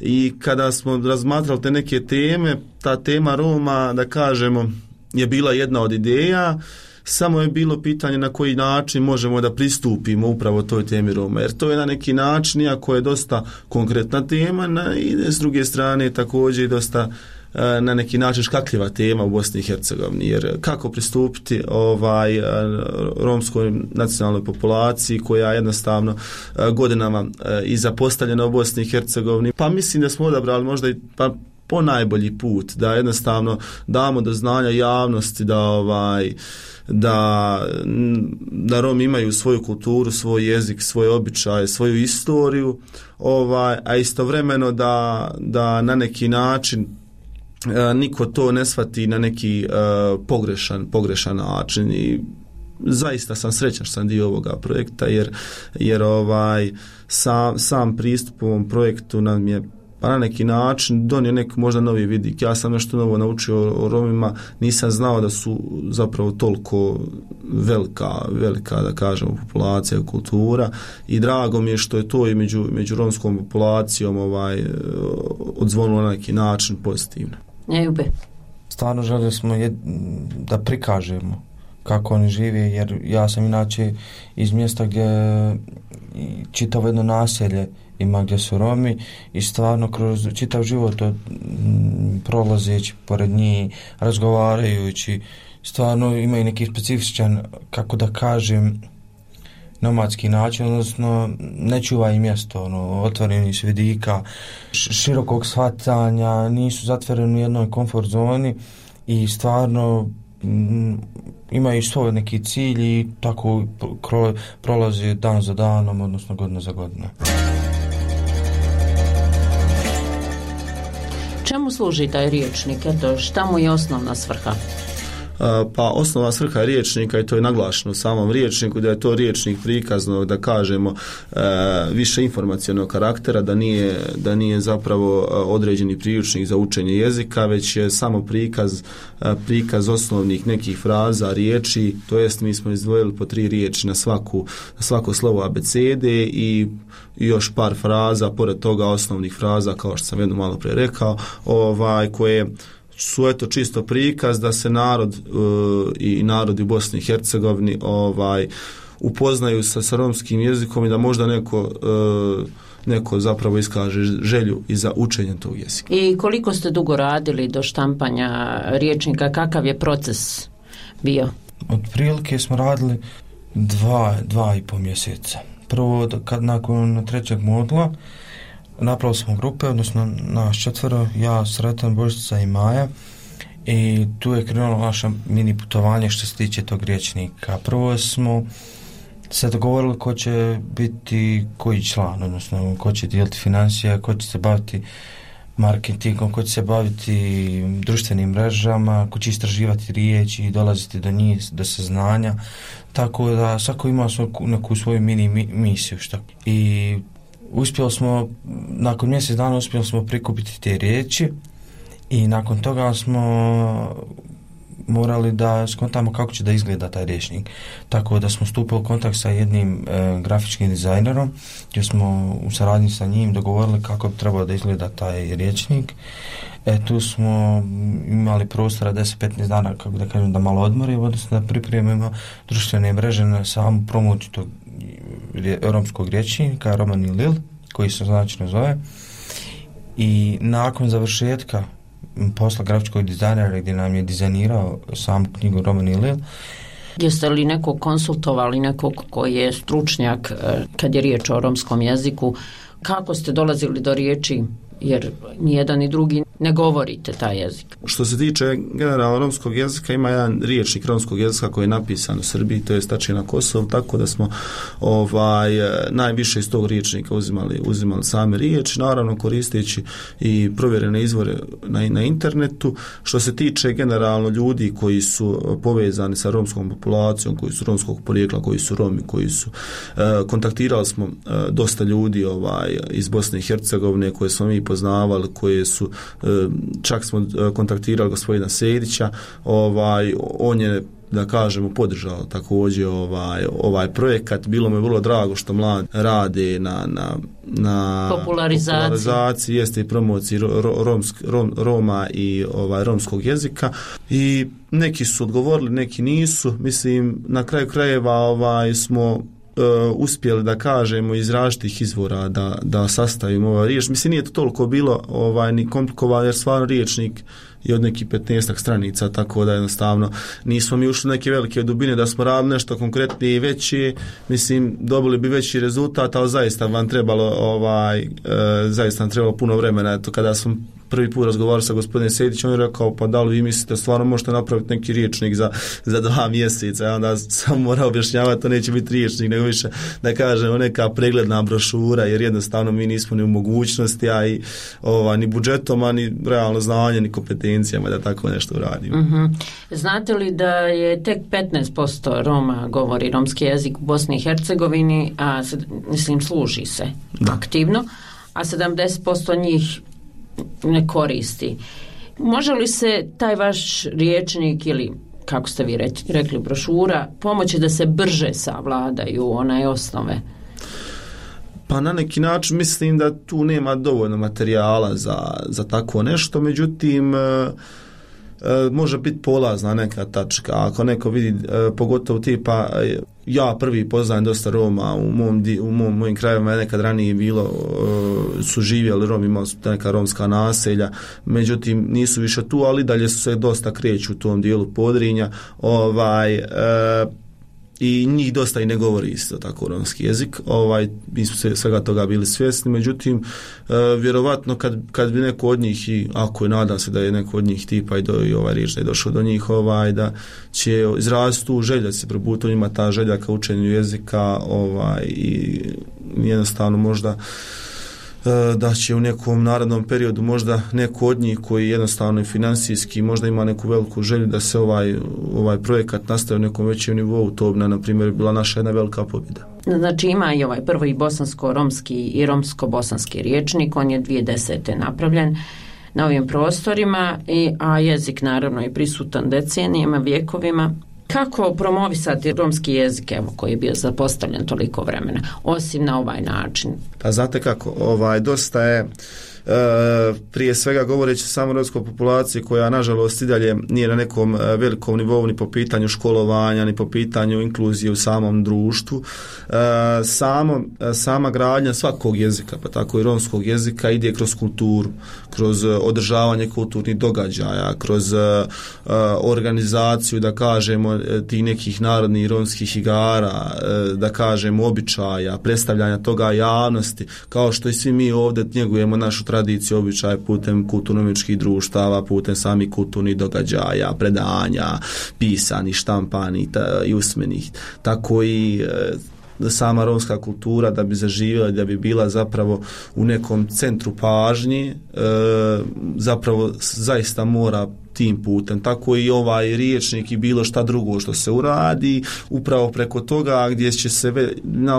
I kada smo razmatrali te neke teme, ta tema Roma, da kažemo, je bila jedna od ideja, samo je bilo pitanje na koji način možemo da pristupimo upravo toj temi Roma, jer to je na neki način, iako je dosta konkretna tema, i s druge strane također i dosta na neki način škakljiva tema u Bosni i Hercegovini, jer kako pristupiti romskoj nacionalnoj populaciji koja je jednostavno godinama i zapostavljena u Bosni i Hercegovini. Pa mislim da smo odabrali možda i po najbolji put da jednostavno damo do znanja javnosti da Romi imaju svoju kulturu, svoj jezik, svoje običaje, svoju istoriju, a istovremeno da na neki način niko to ne shvati na neki pogrešan način. I zaista sam srećan što sam dio ovoga projekta, jer sam pristup ovom projektu nam je na neki način donio neki možda novi vidik. Ja sam nešto novo naučio o Romima, nisam znao da su zapravo toliko velika, da kažemo, populacija, kultura, i drago mi je što je to i među romskom populacijom odzvonilo na neki način pozitivno. Stvarno želili smo da prikažemo kako oni žive, jer ja sam inače iz mjesta gdje čitavo jedno naselje ima gdje su Romi i stvarno kroz čitav život prolazeći pored njih, razgovarajući, stvarno imaju neki specifičan, kako da kažem, nomadski način, odnosno ne čuvaju mjesto, otvoreni su vidika, širokog shvatanja, nisu zatvoreni u jednoj komfort zoni i stvarno imaju svoj neki cilj i tako prolazi dan za danom, odnosno godina za godinom. Čemu služi taj riječnik? Šta mu je osnovna svrha? Pa osnovna svrha riječnika, i to je naglašeno u samom riječniku, da je to riječnik prikaznog, da kažemo, više informacionog karaktera, da nije zapravo određeni priručnik za učenje jezika, već je samo prikaz osnovnih nekih fraza, riječi, to jest mi smo izdvojili po 3 riječi na svako slovo abecede i još par fraza, pored toga osnovnih fraza, kao što sam jedno malo prije rekao, koje su čisto prikaz da se narod i narodi u Bosni i Hercegovini upoznaju sa romskim jezikom i da možda neko zapravo iskaže želju i za učenje tog jezika. I koliko ste dugo radili do štampanja riječnika? Kakav je proces bio? Otprilike smo radili 2,5 mjeseca. Prvo nakon 3. modula napravili smo grupe, odnosno nas 4, ja, Sretan, Božica i Maja, i tu je krenulo naše mini putovanje što se tiče tog rječnika. Prvo smo se dogovorili ko će biti koji član, odnosno ko će dijeliti financije, ko će se baviti marketingom, ko će se baviti društvenim mrežama, ko će istraživati riječi i dolaziti do njih, do saznanja, tako da svako ima neku svoju mini misiju. I uspjeli smo, nakon mjesec dana uspjeli smo prikupiti te riječi i nakon toga smo morali da skontamo kako će da izgleda taj rječnik. Tako da smo stupili u kontakt sa jednim grafičkim dizajnerom, gdje smo u saradnji sa njim dogovorili kako bi trebao da izgleda taj rječnik. Tu smo imali prostora 10-15 dana, kako da kažem, da malo odmorimo, odnosno da pripremimo društvene mreže na samu promociju tog romskog rječnika, Roman i Lil, koji se značajno zove. I nakon završetka posla grafičkog dizajnera, gdje nam je dizajnirao samu knjigu Roman i Lil. Jeste li nekog konsultovali, nekog koji je stručnjak kad je riječ o romskom jeziku? Kako ste dolazili do riječi, jer nijedan ni drugi ne govorite taj jezik? Što se tiče generalno romskog jezika, ima jedan riječnik romskog jezika koji je napisan u Srbiji, to je tačnije na Kosovu, tako da smo najviše iz tog riječnika uzimali same riječi, naravno koristeći i provjerene izvore na internetu. Što se tiče generalno ljudi koji su povezani sa romskom populacijom, koji su romskog porijekla, koji su Romi, koji su kontaktirali smo dosta ljudi iz Bosne i Hercegovine koje smo mi poznavali, koje su čak smo kontaktirali gospodina Sejdića, on je, da kažemo, podržao također ovaj projekat. Bilo mi je vrlo drago što mladi rade na popularizaciji, jeste i promociji Roma i romskog jezika, i neki su odgovorili, neki nisu. Mislim, na kraju krajeva smo uspjeli, da kažemo, iz različitih izvora da sastavimo ovaj riječ. Mislim, nije to toliko bilo ni komplikovano, jer stvarno riječnik je od nekih 15 stranica, tako da jednostavno nismo mi ušli neke velike dubine, da smo radili nešto konkretnije i veće, mislim, dobili bi veći rezultat, ali zaista vam trebalo zaista vam trebalo puno vremena. Eto, kada sam prvi put razgovarao sa gospodinom Sejdićem, on je rekao, pa da li vi mislite stvarno možete napraviti neki riječnik za 2 mjeseca? Ja onda sam morao objašnjavati, to neće biti riječnik, nego više, da kažemo, neka pregledna brošura, jer jednostavno mi nismo ni u mogućnosti, a i ni budžetom, a ni realno znanje, ni kompetencijama da tako nešto uradimo. Mm-hmm. Znate li da je tek 15% Roma govori romski jezik u Bosni i Hercegovini, a mislim služi se aktivno, a 70% njih ne koristi. Može li se taj vaš riječnik ili, kako ste vi rekli, brošura, pomoći da se brže savladaju one osnove? Pa na neki način mislim da tu nema dovoljno materijala za tako nešto, međutim može biti polazna neka tačka. Ako neko vidi, pogotovo tipa, ja prvi poznajem dosta Roma u mojim krajevima, nekad ranije bilo, su živjeli Romi, imali su neka romska naselja, međutim nisu više tu, ali dalje su se dosta kreću u tom dijelu Podrinja, i njih dosta i ne govori isto tako romski jezik. Mi smo svega toga bili svjesni, međutim vjerovatno kad bi neko od njih, i ako je, nadam se da je neko od njih tipa i ovaj riječ da je došao do njih, da će izraziti tu želju, da se probuti njima ta želja ka učenju jezika, i jednostavno možda da će u nekom narednom periodu možda neko od njih koji jednostavno i financijski možda ima neku veliku želju da se ovaj projekat nastavi u nekom većem nivou, to bi na primjer bila naša jedna velika pobjeda. Znači ima i ovaj prvi bosansko-romski i romsko-bosanski riječnik, on je 2010. napravljen na ovim prostorima, a jezik naravno je prisutan decenijama, vjekovima. Kako promovisati romski jezik, koji je bio zapostavljen toliko vremena, osim na ovaj način? Pa znate kako, dosta je prije svega govoreći samo o romskoj populaciji koja nažalost i dalje nije na nekom velikom nivou ni po pitanju školovanja, ni po pitanju inkluzije u samom društvu. Sama gradnja svakog jezika, pa tako i romskog jezika, ide kroz kulturu, kroz održavanje kulturnih događaja, kroz organizaciju, da kažemo, tih nekih narodnih romskih igara, da kažemo običaja, predstavljanja toga javnosti, kao što i svi mi ovdje njegujemo našu tradiciju, običaje putem kulturno-umjetničkih društava, putem samih kulturnih događaja, predanja, pisanih, štampanih i usmenih. Tako i sama romska kultura da bi zaživjela, da bi bila zapravo u nekom centru pažnje, zapravo zaista mora tim putem. Tako i ovaj riječnik i bilo šta drugo što se uradi, upravo preko toga gdje će se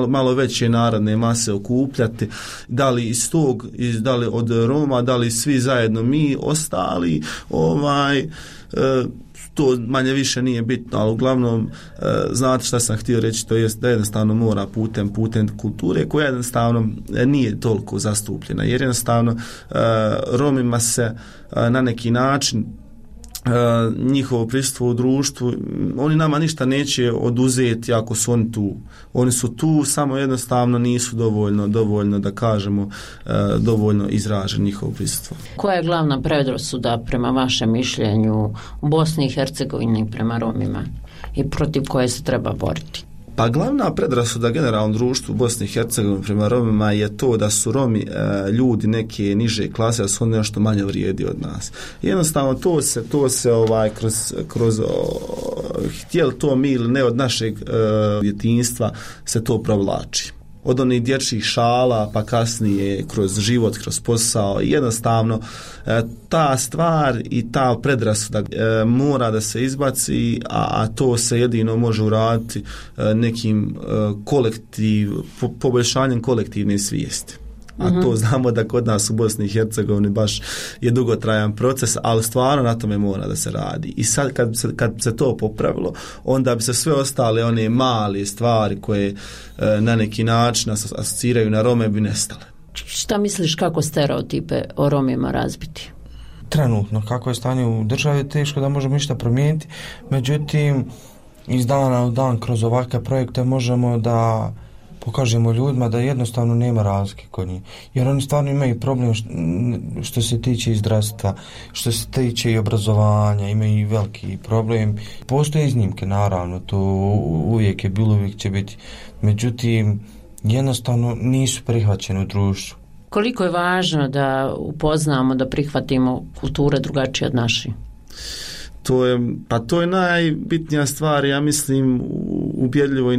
malo veće narodne mase okupljati, da li iz tog, da li od Roma, da li svi zajedno mi ostali, to manje više nije bitno, ali uglavnom znate šta sam htio reći, to jest da jednostavno mora putem kulture koja jednostavno nije toliko zastupljena, jer jednostavno Romima se na neki način njihovo prisustvo u društvu, oni nama ništa neće oduzeti ako su oni tu. Oni su tu, samo jednostavno nisu dovoljno da kažemo, dovoljno izražen njihovo prisustvo. Koja je glavna predrasuda prema vašem mišljenju u Bosni i Hercegovini prema Romima i protiv koje se treba boriti? Pa glavna predrasuda generalnom društvu u Bosni i Hercegovini prema Romima je to da su Romi ljudi neke niže klase, da su oni nešto manje vrijedi od nas. Jednostavno to se kroz htjeli to mi ili ne od našeg djetinjstva se to provlači. Od onih dječjih šala pa kasnije kroz život, kroz posao, jednostavno ta stvar i ta predrasuda mora da se izbaci, a to se jedino može uraditi nekim poboljšanjem kolektivne svijesti. A to znamo da kod nas u Bosni i Hercegovini baš je dugotrajan proces, ali stvarno na tome mora da se radi. I sad kad se to popravilo, onda bi se sve ostale one male stvari koje na neki način asociraju na Rome bi nestale. Šta misliš kako stereotipe o Romima razbiti? Trenutno, kako je stanje u državi, teško da možemo ništa promijeniti, međutim iz dana u dan kroz ovakve projekte možemo da pokažemo ljudima da jednostavno nema razlike kod njih. Jer oni stvarno imaju problem što se tiče i zdravstva, što se tiče i obrazovanja, imaju i veliki problem. Postoje iznimke, naravno, to uvijek je bilo, uvijek će biti. Međutim, jednostavno nisu prihvaćeni u društvu. Koliko je važno da upoznamo, da prihvatimo kulture drugačije od naših? To je najbitnija stvar, ja mislim, ubjedljivo i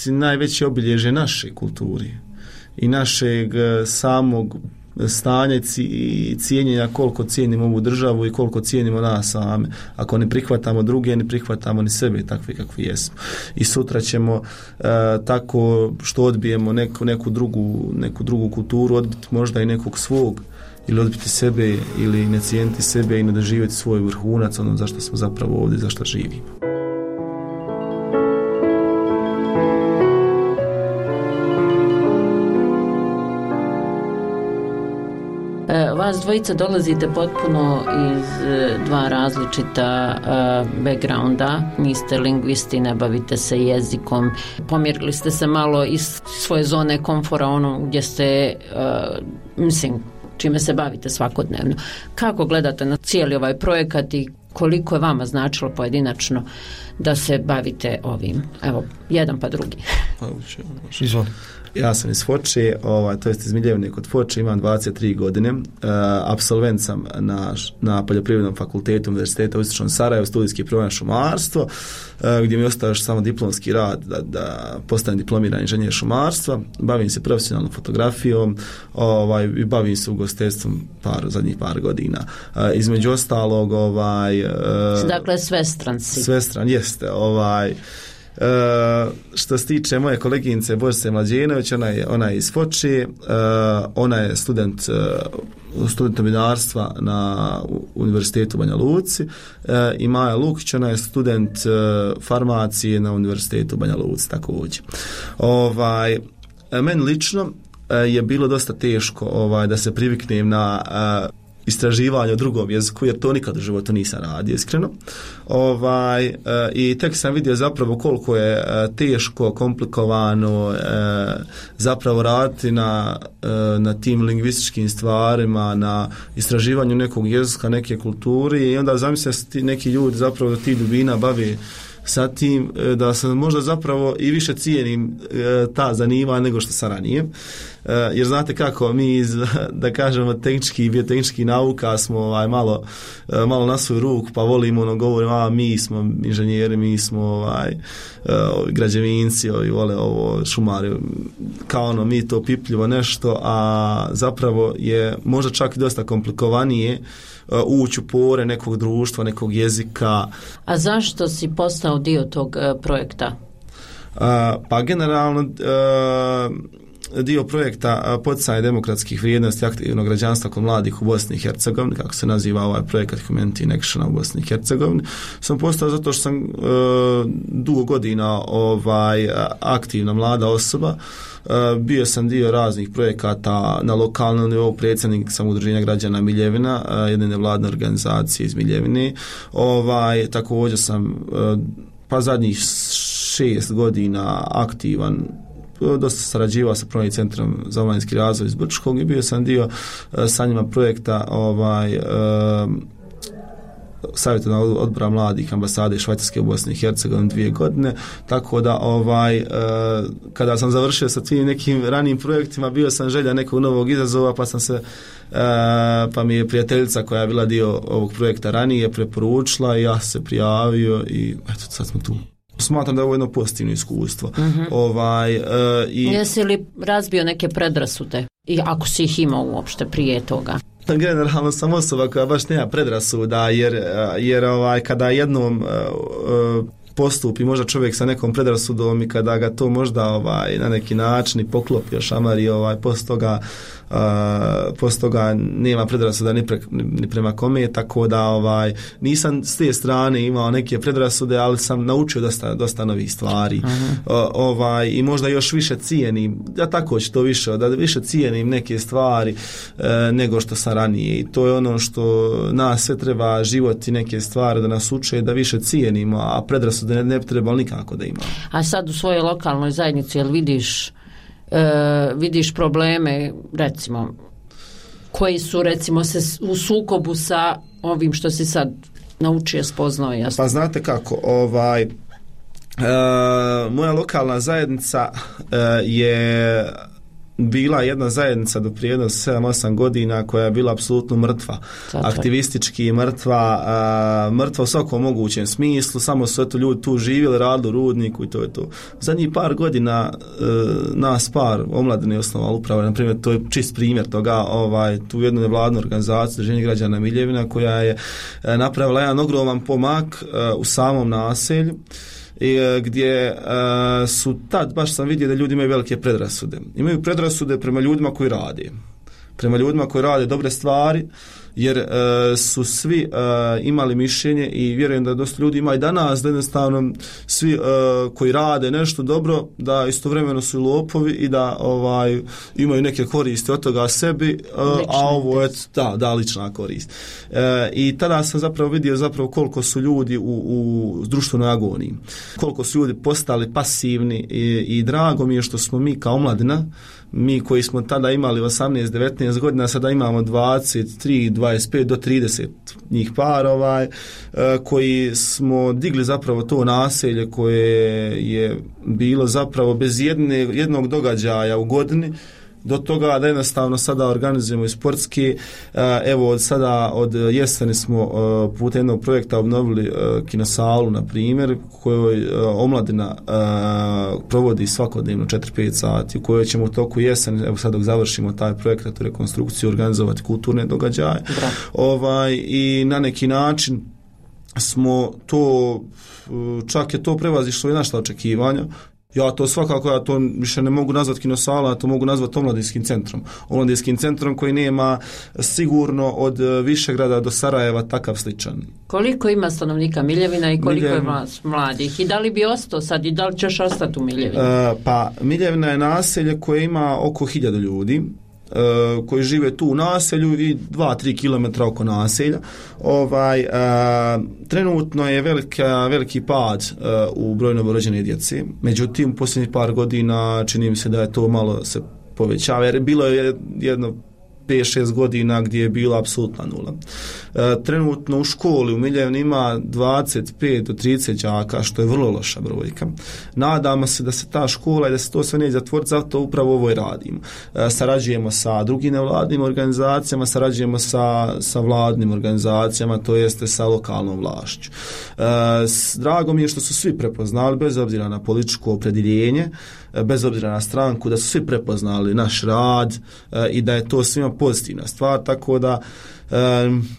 najveće obilježje naše kulturi i našeg samog stanja i cijenjenja koliko cijenimo ovu državu i koliko cijenimo nas same. Ako ne prihvatamo druge, ne prihvatamo ni sebe takvi kakvi jesmo. I sutra ćemo tako što odbijemo neku drugu kulturu, odbiti možda i nekog svog, ili odbiti sebe, ili ne cijeniti sebe i ne doživjeti svoj vrhunac, ono zašto smo zapravo ovdje, zašto živimo. Vas dvojica dolazite potpuno iz dva različita backgrounda, niste lingvisti, ne bavite se jezikom, pomjerili ste se malo iz svoje zone komfora, ono gdje ste, čime se bavite svakodnevno. Kako gledate na cijeli ovaj projekat i koliko je vama značilo pojedinačno da se bavite ovim? Evo, jedan pa drugi. Izvoli. Ja sam iz Foče, to jest iz Miljevne kod Foče, imam 23 godine, apsolvent sam na Poljoprivrednom fakultetu Univerziteta u Istočnom Sarajevu, studijski program šumarstvo, gdje mi ostaje još samo diplomski rad da postanem diplomirani inženjer šumarstva. Bavim se profesionalnom fotografijom i bavim se ugostiteljstvom zadnjih par godina. Između ostalog dakle svestran si. Svestran jeste, što se tiče moje koleginice Božice Mlađenović, ona je iz Foče, ona je student novinarstva na Univerzitetu u Banja Luci, i Maja Lukić, ona je student farmacije na Univerzitetu u Banja Luci također. Meni lično je bilo dosta teško da se priviknem na istraživanje o drugom jeziku, jer to nikad u životu nisam radio, iskreno. I tek sam vidio zapravo koliko je teško, komplikovano zapravo raditi na tim lingvističkim stvarima, na istraživanju nekog jezika, neke kulturi, i onda zamislio se neki ljudi zapravo da ti dubina bave sa tim, da sam možda zapravo i više cijenim ta zanimanja nego što sam ranije. Jer znate kako, mi iz, da kažemo, tehnički i biotehnički nauka smo malo na svoju ruku, pa volimo govorimo, mi smo inženjeri, mi smo građevinci, vole ovo šumari, kao mi to pipljivo nešto, a zapravo je možda čak i dosta komplikovanije ući u pore nekog društva, nekog jezika. A zašto si postao dio tog projekta? Pa generalno dio projekta poticanje demokratskih vrijednosti aktivnog građanstva kod mladih u Bosni i Hercegovini, kako se naziva ovaj projekat Humanity in Action u Bosni i Hercegovini, sam postao zato što sam dugo godina aktivna mlada osoba. Bio sam dio raznih projekata na lokalnom nivou, predsjednik sam udruženja građana Miljevina, jedne nevladne organizacije iz Miljevine. Također sam zadnjih 6 godina aktivan, dosta sarađivao sa Pravnim centrom za omladinski razvoj iz Brčkog i bio sam dio sa njima projekta savjetodavnog odbora mladih ambasade Švajcarske u Bosni i Hercegovini 2 godine, tako da kada sam završio sa tim nekim ranijim projektima, bio sam želja nekog novog izazova, pa mi je prijateljica koja je bila dio ovog projekta ranije preporučila i ja se prijavio i eto, sad smo tu. Smatram da je ovo jedno pozitivno iskustvo. Jesi li razbio neke predrasude? I ako si ih imao uopšte prije toga? Generalno sam osoba koja baš nema predrasuda, jer kada jednom postupi možda čovjek sa nekom predrasudom i kada ga to možda na neki način i poklopi, šamari, posto toga nema predrasuda ni prema kome, tako da nisam s te strane imao neke predrasude, ali sam naučio dosta novih stvari. I možda još više cijenim, ja tako ću to više, da više cijenim neke stvari nego što sam ranije, i to je ono što nas sve treba, život i neke stvari da nas uče da više cijenimo, a predrasude ne bi trebalo nikako da imamo. A sad u svojoj lokalnoj zajednici, jel vidiš probleme, recimo, koji su, recimo, se u sukobu sa ovim što si sad naučio, spoznao? Jasno? Pa znate kako, moja lokalna zajednica je bila jedna zajednica do prije 7-8 godina koja je bila apsolutno mrtva. Aktivistički mrtva u svakom mogućem smislu, samo su ljudi tu živjeli, radili u rudniku i to je to. Zadnjih par godina nas par omladine osnovali upravo, na primjer, to je čist primjer toga, tu jednu nevladnu organizaciju Udruženje građana Miljevina koja je napravila jedan ogroman pomak u samom naselju, gdje su tad, baš sam vidio da ljudi imaju velike predrasude. Imaju predrasude prema ljudima koji rade. Prema ljudima koji rade dobre stvari, jer su svi imali mišljenje i vjerujem da dosta ljudi ima i danas, da jednostavno svi koji rade nešto dobro, da istovremeno su lopovi i da imaju neke koristi od toga sebi, a ovo je lična korist. I tada sam zapravo vidio koliko su ljudi u društvenoj agoniji, koliko su ljudi postali pasivni i drago mi je što smo mi kao omladina, mi koji smo tada imali 18-19 godina, sada imamo 23, 25 do 30 njih par, koji smo digli zapravo to naselje koje je bilo zapravo bez jednog događaja u godini, do toga da jednostavno sada organizujemo i sportski. Evo od jeseni smo putem jednog projekta obnovili kinosalu, na primjer, kojoj omladina provodi svakodnevno 4-5 sati, u kojoj ćemo u toku jeseni, evo sad dok završimo taj projekat u rekonstrukciju, organizovati kulturne događaje. I na neki način smo to, čak je to prevazišlo i naša očekivanja. Ja to svakako, ja to više ne mogu nazvati kinosala, ja to mogu nazvati omladinskim centrom. Omladinskim centrom koji nema sigurno od Višegrada do Sarajeva takav sličan. Koliko ima stanovnika Miljevina i koliko je mladih? I da li bi ostao sad i da li ćeš ostati u Miljevini? Pa Miljevina je naselje koje ima oko 1000 ljudi koji žive tu u naselju i 2-3 km oko naselja. Trenutno je veliki pad u broju novorođene djece. Međutim, u posljednjih par godina čini mi se da je to malo se povećava, jer bilo je jedno 5-6 godina gdje je bila apsolutna nula. Trenutno u školi u Miljevini ima 25 do 30 đaka, što je vrlo loša brojka. Nadamo se da se ta škola i da se to sve neće zatvoriti, zato upravo ovo i radimo. Sarađujemo sa drugim nevladnim organizacijama, sarađujemo sa vladnim organizacijama, to jeste sa lokalnom vlašću. Drago mi je što su svi prepoznali, bez obzira na političko opredjeljenje, bez obzira na stranku, da su svi prepoznali naš rad i da je to svima pozitivna stvar, tako da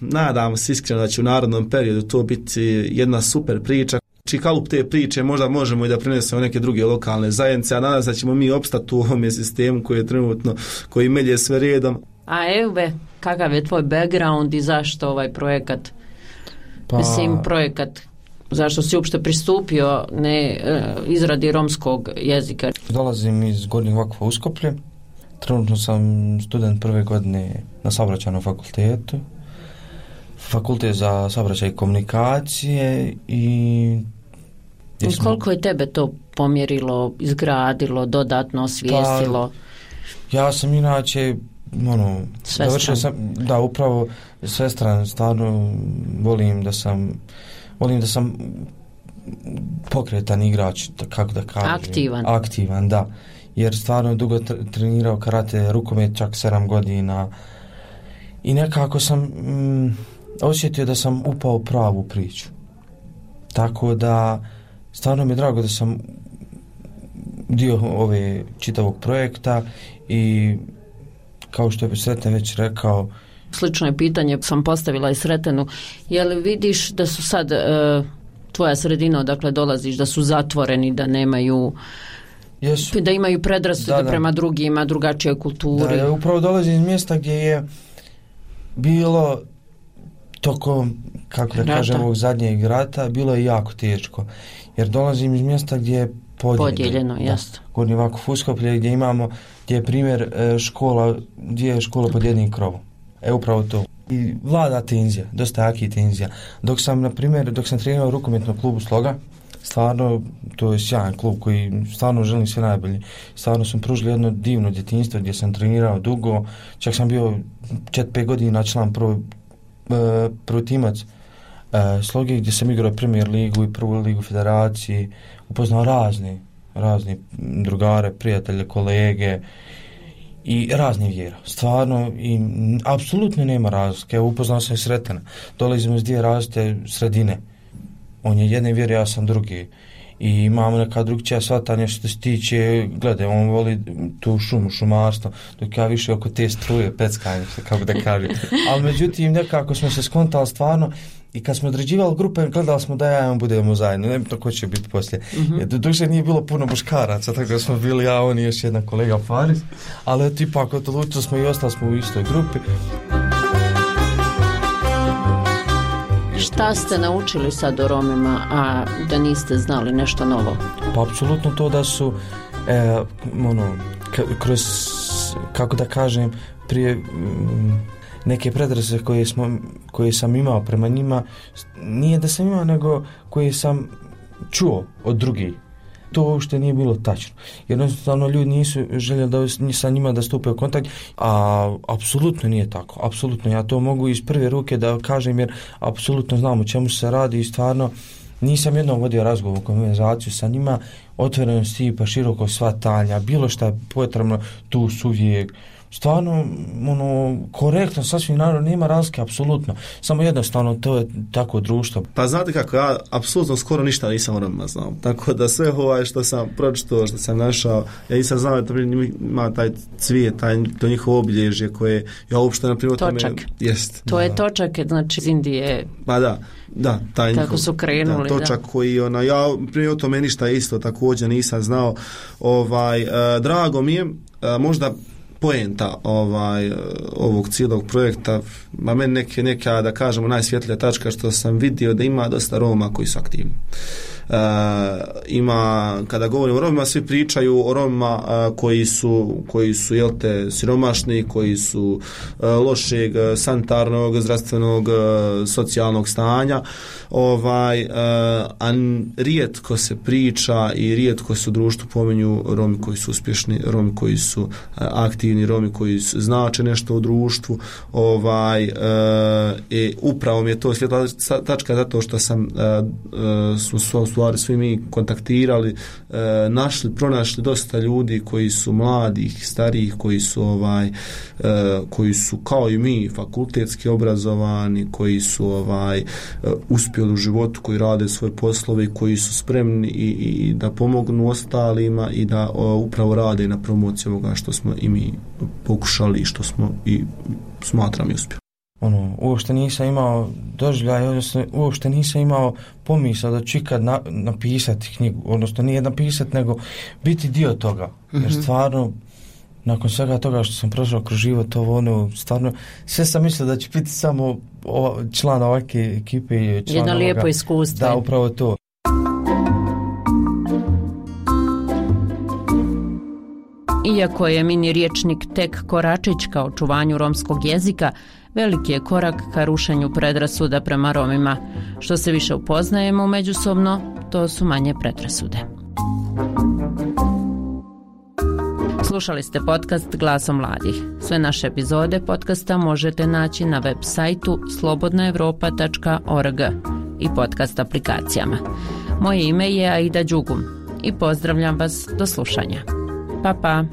nadam se iskreno da će u narednom periodu to biti jedna super priča. Kalup te priče možda možemo i da prinesemo neke druge lokalne zajednice, a nadam se da ćemo mi opstati u ovom sistemu koji je trenutno, koji melje sve redom. A Eube, kakav je tvoj background i zašto ovaj projekat? Projekat, zašto si uopšte pristupio izradi romskog jezika? Dolazim iz Gornjeg Vakfa Uskoplje. Trenutno sam student prve godine na saobraćajnom fakultetu. Fakultet za saobraćaj i komunikacije i koliko je tebe to pomjerilo, izgradilo, dodatno osvijestilo? Ja sam inače završio sam, upravo svestran, stvarno volim da sam pokretan igrač, kako da kažem. Aktivan, da. Jer stvarno dugo trenirao karate, rukomet čak 7 godina i nekako sam osjetio da sam upao pravu priču. Tako da stvarno mi je drago da sam dio ove čitavog projekta i kao što je Sreten već rekao. Slično je pitanje sam postavila i Sretenu. Je li vidiš da su sad tvoja sredina odakle dolaziš, da su zatvoreni, da nemaju da imaju predrasude prema drugima, drugačijoj kulturi? Da, upravo dolazim iz mjesta gdje je bilo tokom, kako da kažem, ovog zadnjeg rata, bilo je jako teško. Jer dolazim iz mjesta gdje je podijeljeno, jasno. Gornji Vakuf Uskoplje, gdje je primjer škola, 2 škole pod jednim krovom. Upravo to. I vlada tenzija, dosta jaki tenzija. Dok sam trenirao u rukometnom klubu Sloga, stvarno, to je sjajan klub koji stvarno želim sve najbolje. Stvarno sam pružili jedno divno djetinjstvo gdje sam trenirao dugo. Čak sam bio 4-5 godina član prvi timac Sloge, gdje sam igrao Premier ligu i prvu ligu federaciji. Upoznao razne drugare, prijatelje, kolege i razne vjera. Stvarno, i apsolutno nema razlike. Upoznao sam i Sretena. Dolazimo iz 2 različite sredine. On je jedne vjere, ja sam drugi. I imamo neka drugčija shvatanja što se tiče, gledaj, on voli tu šumarstvo, dok ja više oko te struje, peckanje, kako da kažem. Ali međutim, nekako smo se skontali stvarno i kad smo određivali grupe, gledali smo da ja budemo zajedno, ne bi to ko će biti poslije. Duže nije bilo puno muškaraca, tako da smo bili ja, on i još jedna kolega Faris, ali ipak odlučili smo i ostali smo u istoj grupi. Šta ste naučili sad o Romima, a da niste znali nešto novo? Pa apsolutno to da su kroz, kako da kažem, prije neke predrasude koje sam imao prema njima, nije da sam imao, nego koje sam čuo od drugih. To uopšte nije bilo tačno. Jednostavno ljudi nisu željeli sa njima da stupe u kontakt, a apsolutno nije tako. Apsolutno, ja to mogu iz prve ruke da kažem, jer apsolutno znam o čemu se radi i stvarno nisam jednom vodio razgovor, konverzaciju sa njima, otvorenosti pa široko shvatanja, bilo šta potrebno, tu su uvijek. stvarno korektno, sasvim naravno, nema razlike, apsolutno. Samo jednostavno to je tako društvo. Pa znate kako, ja apsolutno skoro ništa nisam o Romima znao. Tako da sve što sam pročitao, što sam našao, ja nisam znao da ima taj cvijet, to njihovo obilježje koje ja uopšte na primjer točak. To je točak, znači iz Indije. Pa da, taj njihov, kako su krenuli, točak koji ja prije o tome ništa isto također nisam znao. Drago mi je, možda poenta ovog cijelog projekta, a meni neka da kažemo najsvjetlija tačka što sam vidio da ima dosta Roma koji su aktivni. Ima, kada govorimo o Romima, svi pričaju o Romima koji su siromašni, koji su lošeg sanitarnog, zdravstvenog, socijalnog stanja, a rijetko se priča i rijetko se u društvu pominju Romi koji su uspješni, Romi koji su aktivni, Romi koji znače nešto u društvu. Upravo mi je to svjetla tačka zato što smo stvari svi mi kontaktirali, pronašli dosta ljudi koji su mladih, starijih, koji su kao i mi fakultetski obrazovani, koji su uspjeli u životu, koji rade svoje poslove, koji su spremni i da pomognu ostalima i da upravo rade na promociji ovoga što smo i mi pokušali i što smo i smatram i uspjeli. Uopšte nisam imao doživljaj, odnosno uopšte nisam imao pomisao da ću ikad napisati knjigu, odnosno nije napisati, nego biti dio toga. Jer stvarno, nakon svega toga što sam prošao kroz život, stvarno, sve sam mislio da će biti samo član ovakve ekipe. Jedno lijepo iskustvo. Da, upravo to. Iako je mini riječnik tek koračić ka očuvanju romskog jezika, veliki je korak ka rušenju predrasuda prema Romima. Što se više upoznajemo međusobno, to su manje predrasude. Slušali ste podcast Glasom mladih. Sve naše epizode podcasta možete naći na web sajtu slobodnaevropa.org i podcast aplikacijama. Moje ime je Aida Đugum i pozdravljam vas do slušanja. Pa.